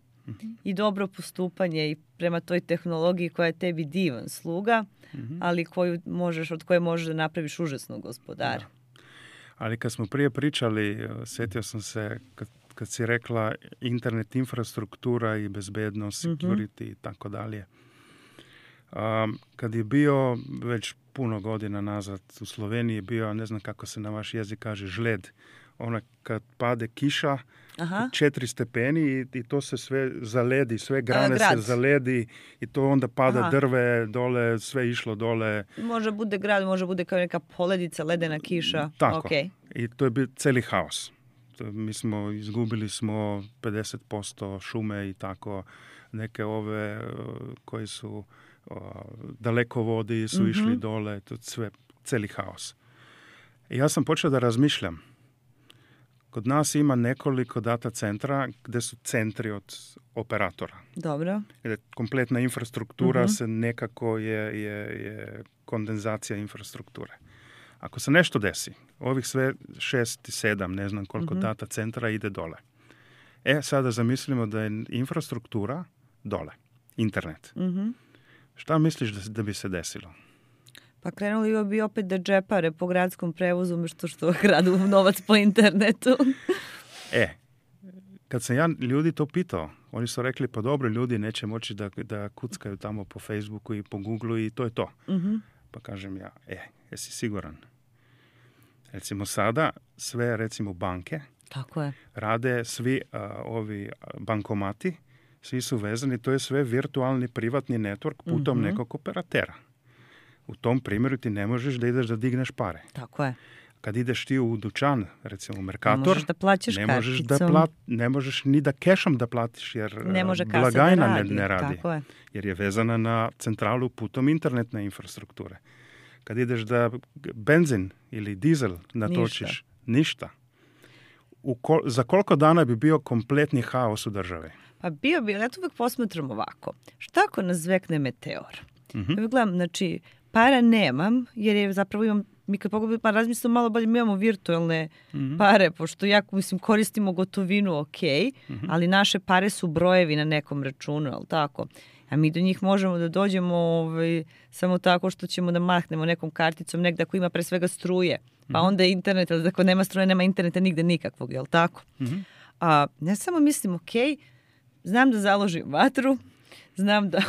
i dobro postupanje i prema toj tehnologiji koja je tebi divan sluga, ali od koje možeš da napraviš užasnog gospodara. Ali kad smo prije pričali, sjetio sam se kad si rekla internet infrastruktura i bezbednost, security i tako dalje. Kad je bio već puno godina nazad u Sloveniji bio, ne znam kako se na vaš jezik kaže, žled. Ona kad pade kiša, 4 stepeni i to se sve zaledi, sve grane se zaledi i to onda pada drve dole, sve išlo dole. Može bude grad, može bude kao neka poledica, ledena kiša. Tako. Okay. I to je bio cijeli haos. Izgubili smo 50% šume i tako. Neke ove koji su dalekovodi su išli dole, to sve cijeli haos. I ja sam počeo da razmišljam. Kod nas ima nekoliko data centra gdje su centri od operatora. Dobro. Kompletna infrastruktura se nekako je kondenzacija infrastrukture. Ako se nešto desi, ovih sve 6 i 7, ne znam koliko data centra ide dole. Sada zamislimo da je infrastruktura dole, internet. Šta misliš da bi se desilo? Pa krenuli bi opet da džepare po gradskom prevozu umjesto što gradu novac po internetu. Kad sam ja ljudi to pitao, oni su rekli, pa dobro, ljudi neće moći da kuckaju tamo po Facebooku i po Googleu i to je to. Pa kažem ja, jesi siguran? Recimo sada sve, recimo banke, tako je, rade svi ovi bankomati, svi su vezani, to je sve virtualni privatni network putom nekog operatera. U tom primjeru ti ne možeš da ideš da digneš pare. Tako je. Kad ideš ti u dućan, recimo u Mercator, ne možeš da plaćaš karticom. Ne možeš ni da kešom da platiš, jer blagajna ne radi. Tako je. Jer je vezana na centralu putom internetne infrastrukture. Kad ideš da benzin ili dizel natočiš, ništa. Za koliko dana bi bio kompletni haos u državi? Pa bio bi, ja to uvijek posmatram ovako. Šta ako nas zvekne meteor? Ja gledam, znači, para nemam, jer je zapravo mi kad pogledam, pa razmislimo malo bolje, mi imamo virtualne pare, pošto koristimo gotovinu, ali naše pare su brojevi na nekom računu, ali tako? A mi do njih možemo da dođemo samo tako što ćemo da mahnemo nekom karticom negdje ako ima pre svega struje. Pa onda je internet, ali ako nema struje, nema interneta nigde nikakvog, jel tako? A ne samo mislim, znam da založim vatru, znam da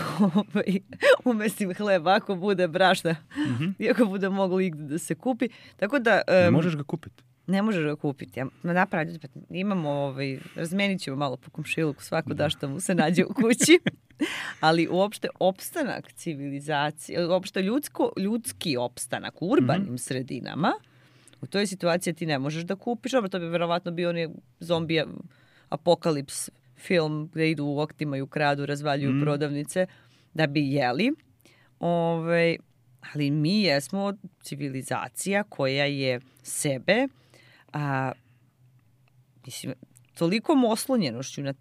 umesim hleb ako bude brašna, iako bude moglo igde da se kupi. Tako da... Ne možeš ga kupiti. Ne možeš ga kupiti. Imamo, razmenit ćemo malo po komšiluku, svako da što mu se nađe u kući. Ali uopšte opstanak civilizacije, uopšte ljudski opstanak u urbanim sredinama, U toj situaciji ti ne možeš da kupiš, to bi verovatno bio onaj zombi apokalips film gde idu u oktima i ukradu, razvaljuju prodavnice da bi jeli. Ali mi jesmo civilizacija koja je sebe tolikom oslonjenošću na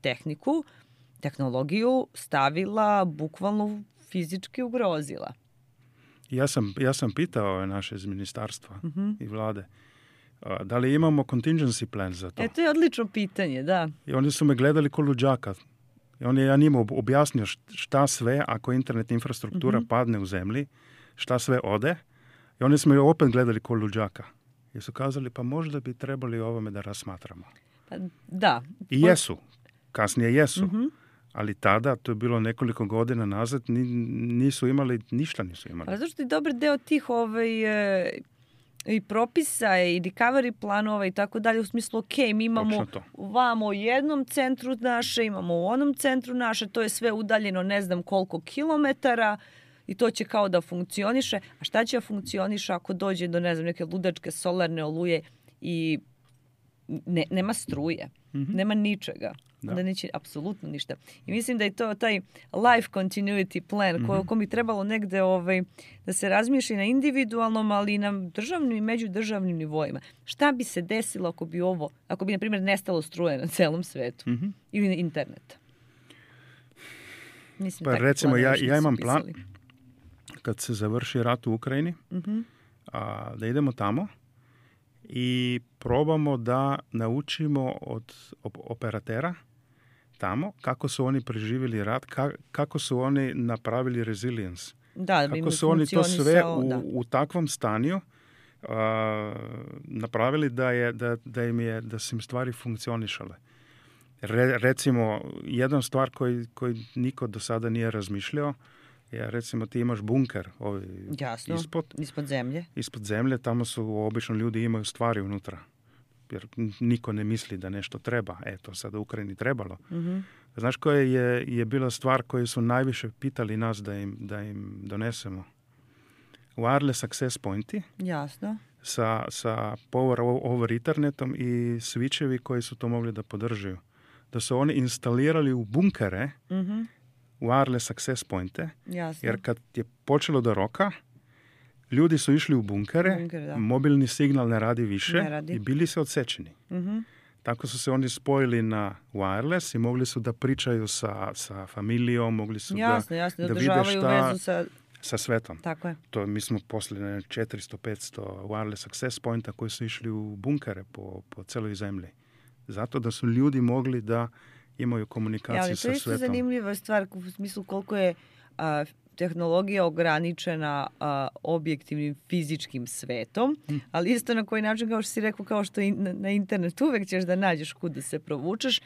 tehnologiju stavila, bukvalno fizički ugrozila. Ja sam pitao naše iz ministarstva i vlade da li imamo contingency plan za to. To je odlično pitanje, da. I oni su me gledali ko luđaka. Ja njima objasnio šta sve ako internet infrastruktura padne u zemlji, šta sve ode. I oni su me opet gledali ko luđaka. I su kazali pa možda bi trebali ovome da razmatramo. Da. I jesu. Kasnije jesu. Ali tada, to je bilo nekoliko godina nazad, nisu imali. Ali zašto je dobar deo tih i propisa i recovery planova i tako dalje, u smislu, mi imamo vamo u jednom centru naše, imamo u onom centru naše, to je sve udaljeno ne znam koliko kilometara i to će kao da funkcioniše. A šta će da funkcioniše ako dođe do, ne znam, neke ludačke solarne oluje i nema struje, nema ničega. Da neće apsolutno ništa. I mislim da je to taj life continuity plan ko bi trebalo negde da se razmišlja na individualnom, ali i na državnim i međudržavnim nivoima. Šta bi se desilo ako bi, na primjer, nestalo struje na celom svetu? Ili interneta? Mislim, pa recimo, ja imam plan kad se završi rat u Ukrajini, da idemo tamo i probamo da naučimo od operatera tamo kako su oni preživjeli rat, kako su oni napravili resilience. Kako su oni to sve u takvom stanju napravili da su im stvari funkcionišale. Recimo, jedna stvar koju niko do sada nije razmišljao je, recimo, ti imaš bunker ispod zemlje. Ispod zemlje, tamo su obično ljudi imaju stvari unutra. Jer niko ne misli da nešto treba. Eto, sad u Ukrajini trebalo. Znaš koja je bila stvar koju su najviše pitali nas da im donesemo? Wireless access pointi. Jasno. Sa power over internetom i switchevi koji su to mogli da podržaju. Da su oni instalirali u bunkere wireless access pointe. Jasno. Jer kad je počelo do roka, ljudi su išli u bunkere, mobilni signal ne radi više i bili se odsečeni. Tako su se oni spojili na wireless i mogli su da pričaju sa familijom, mogli su da vide šta sa svetom. Tako je. To mi smo poslali 400-500 wireless access pointa koji su išli u bunkere po celoj zemlji. Zato da su ljudi mogli da imaju komunikaciju sa svetom. Ali to je isto zanimljiva stvar u smislu koliko je tehnologija ograničena objektivnim fizičkim svetom, ali isto na koji način, kao što si rekao, kao što i na internetu uvek ćeš da nađeš kud da se provučeš.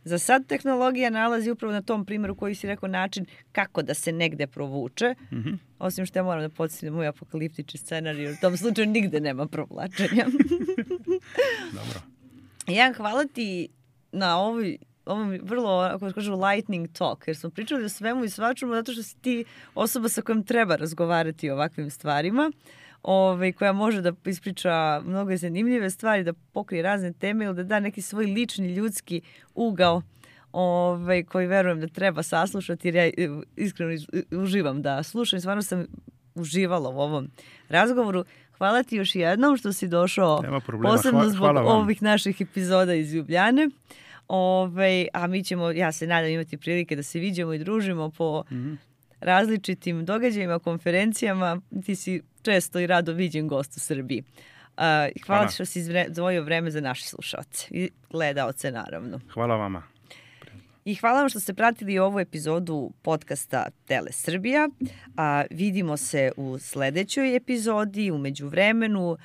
Za sad tehnologija nalazi upravo na tom primjeru koji si rekao način kako da se negde provuče. Osim što ja moram da podsjetim moj apokaliptični scenarij, u tom slučaju nigde nema provlačenja. Dobro. Jan, hvala ti na ovom vrlo, ako kažu, lightning talk, jer smo pričali o svemu i svačemu, zato što si ti osoba sa kojom treba razgovarati o ovakvim stvarima, koja može da ispriča mnogo zanimljive stvari, da pokrije razne teme ili da da neki svoj lični ljudski ugao koji verujem da treba saslušati, jer ja iskreno uživam da slušam i stvarno sam uživala u ovom razgovoru. Hvala ti još jednom što si došao, posebno zbog ovih naših epizoda iz Ljubljane. A mi ćemo, ja se nadam, imati prilike da se viđamo i družimo po različitim događajima, konferencijama. Ti si često i rado viđen gost u Srbiji. Hvala što si izdvojio vreme za naše slušaoce i gledaoce, naravno. Hvala vama. I hvala vam što ste pratili ovu epizodu podcasta Tele Srbija. Vidimo se u sledećoj epizodi, u međuvremenu.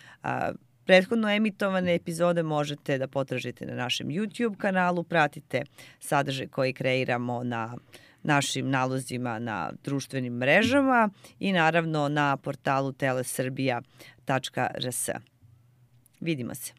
Prethodno emitovane epizode možete da potražite na našem YouTube kanalu, pratite sadržaj koji kreiramo na našim nalozima na društvenim mrežama i naravno na portalu telesrbija.rs. Vidimo se.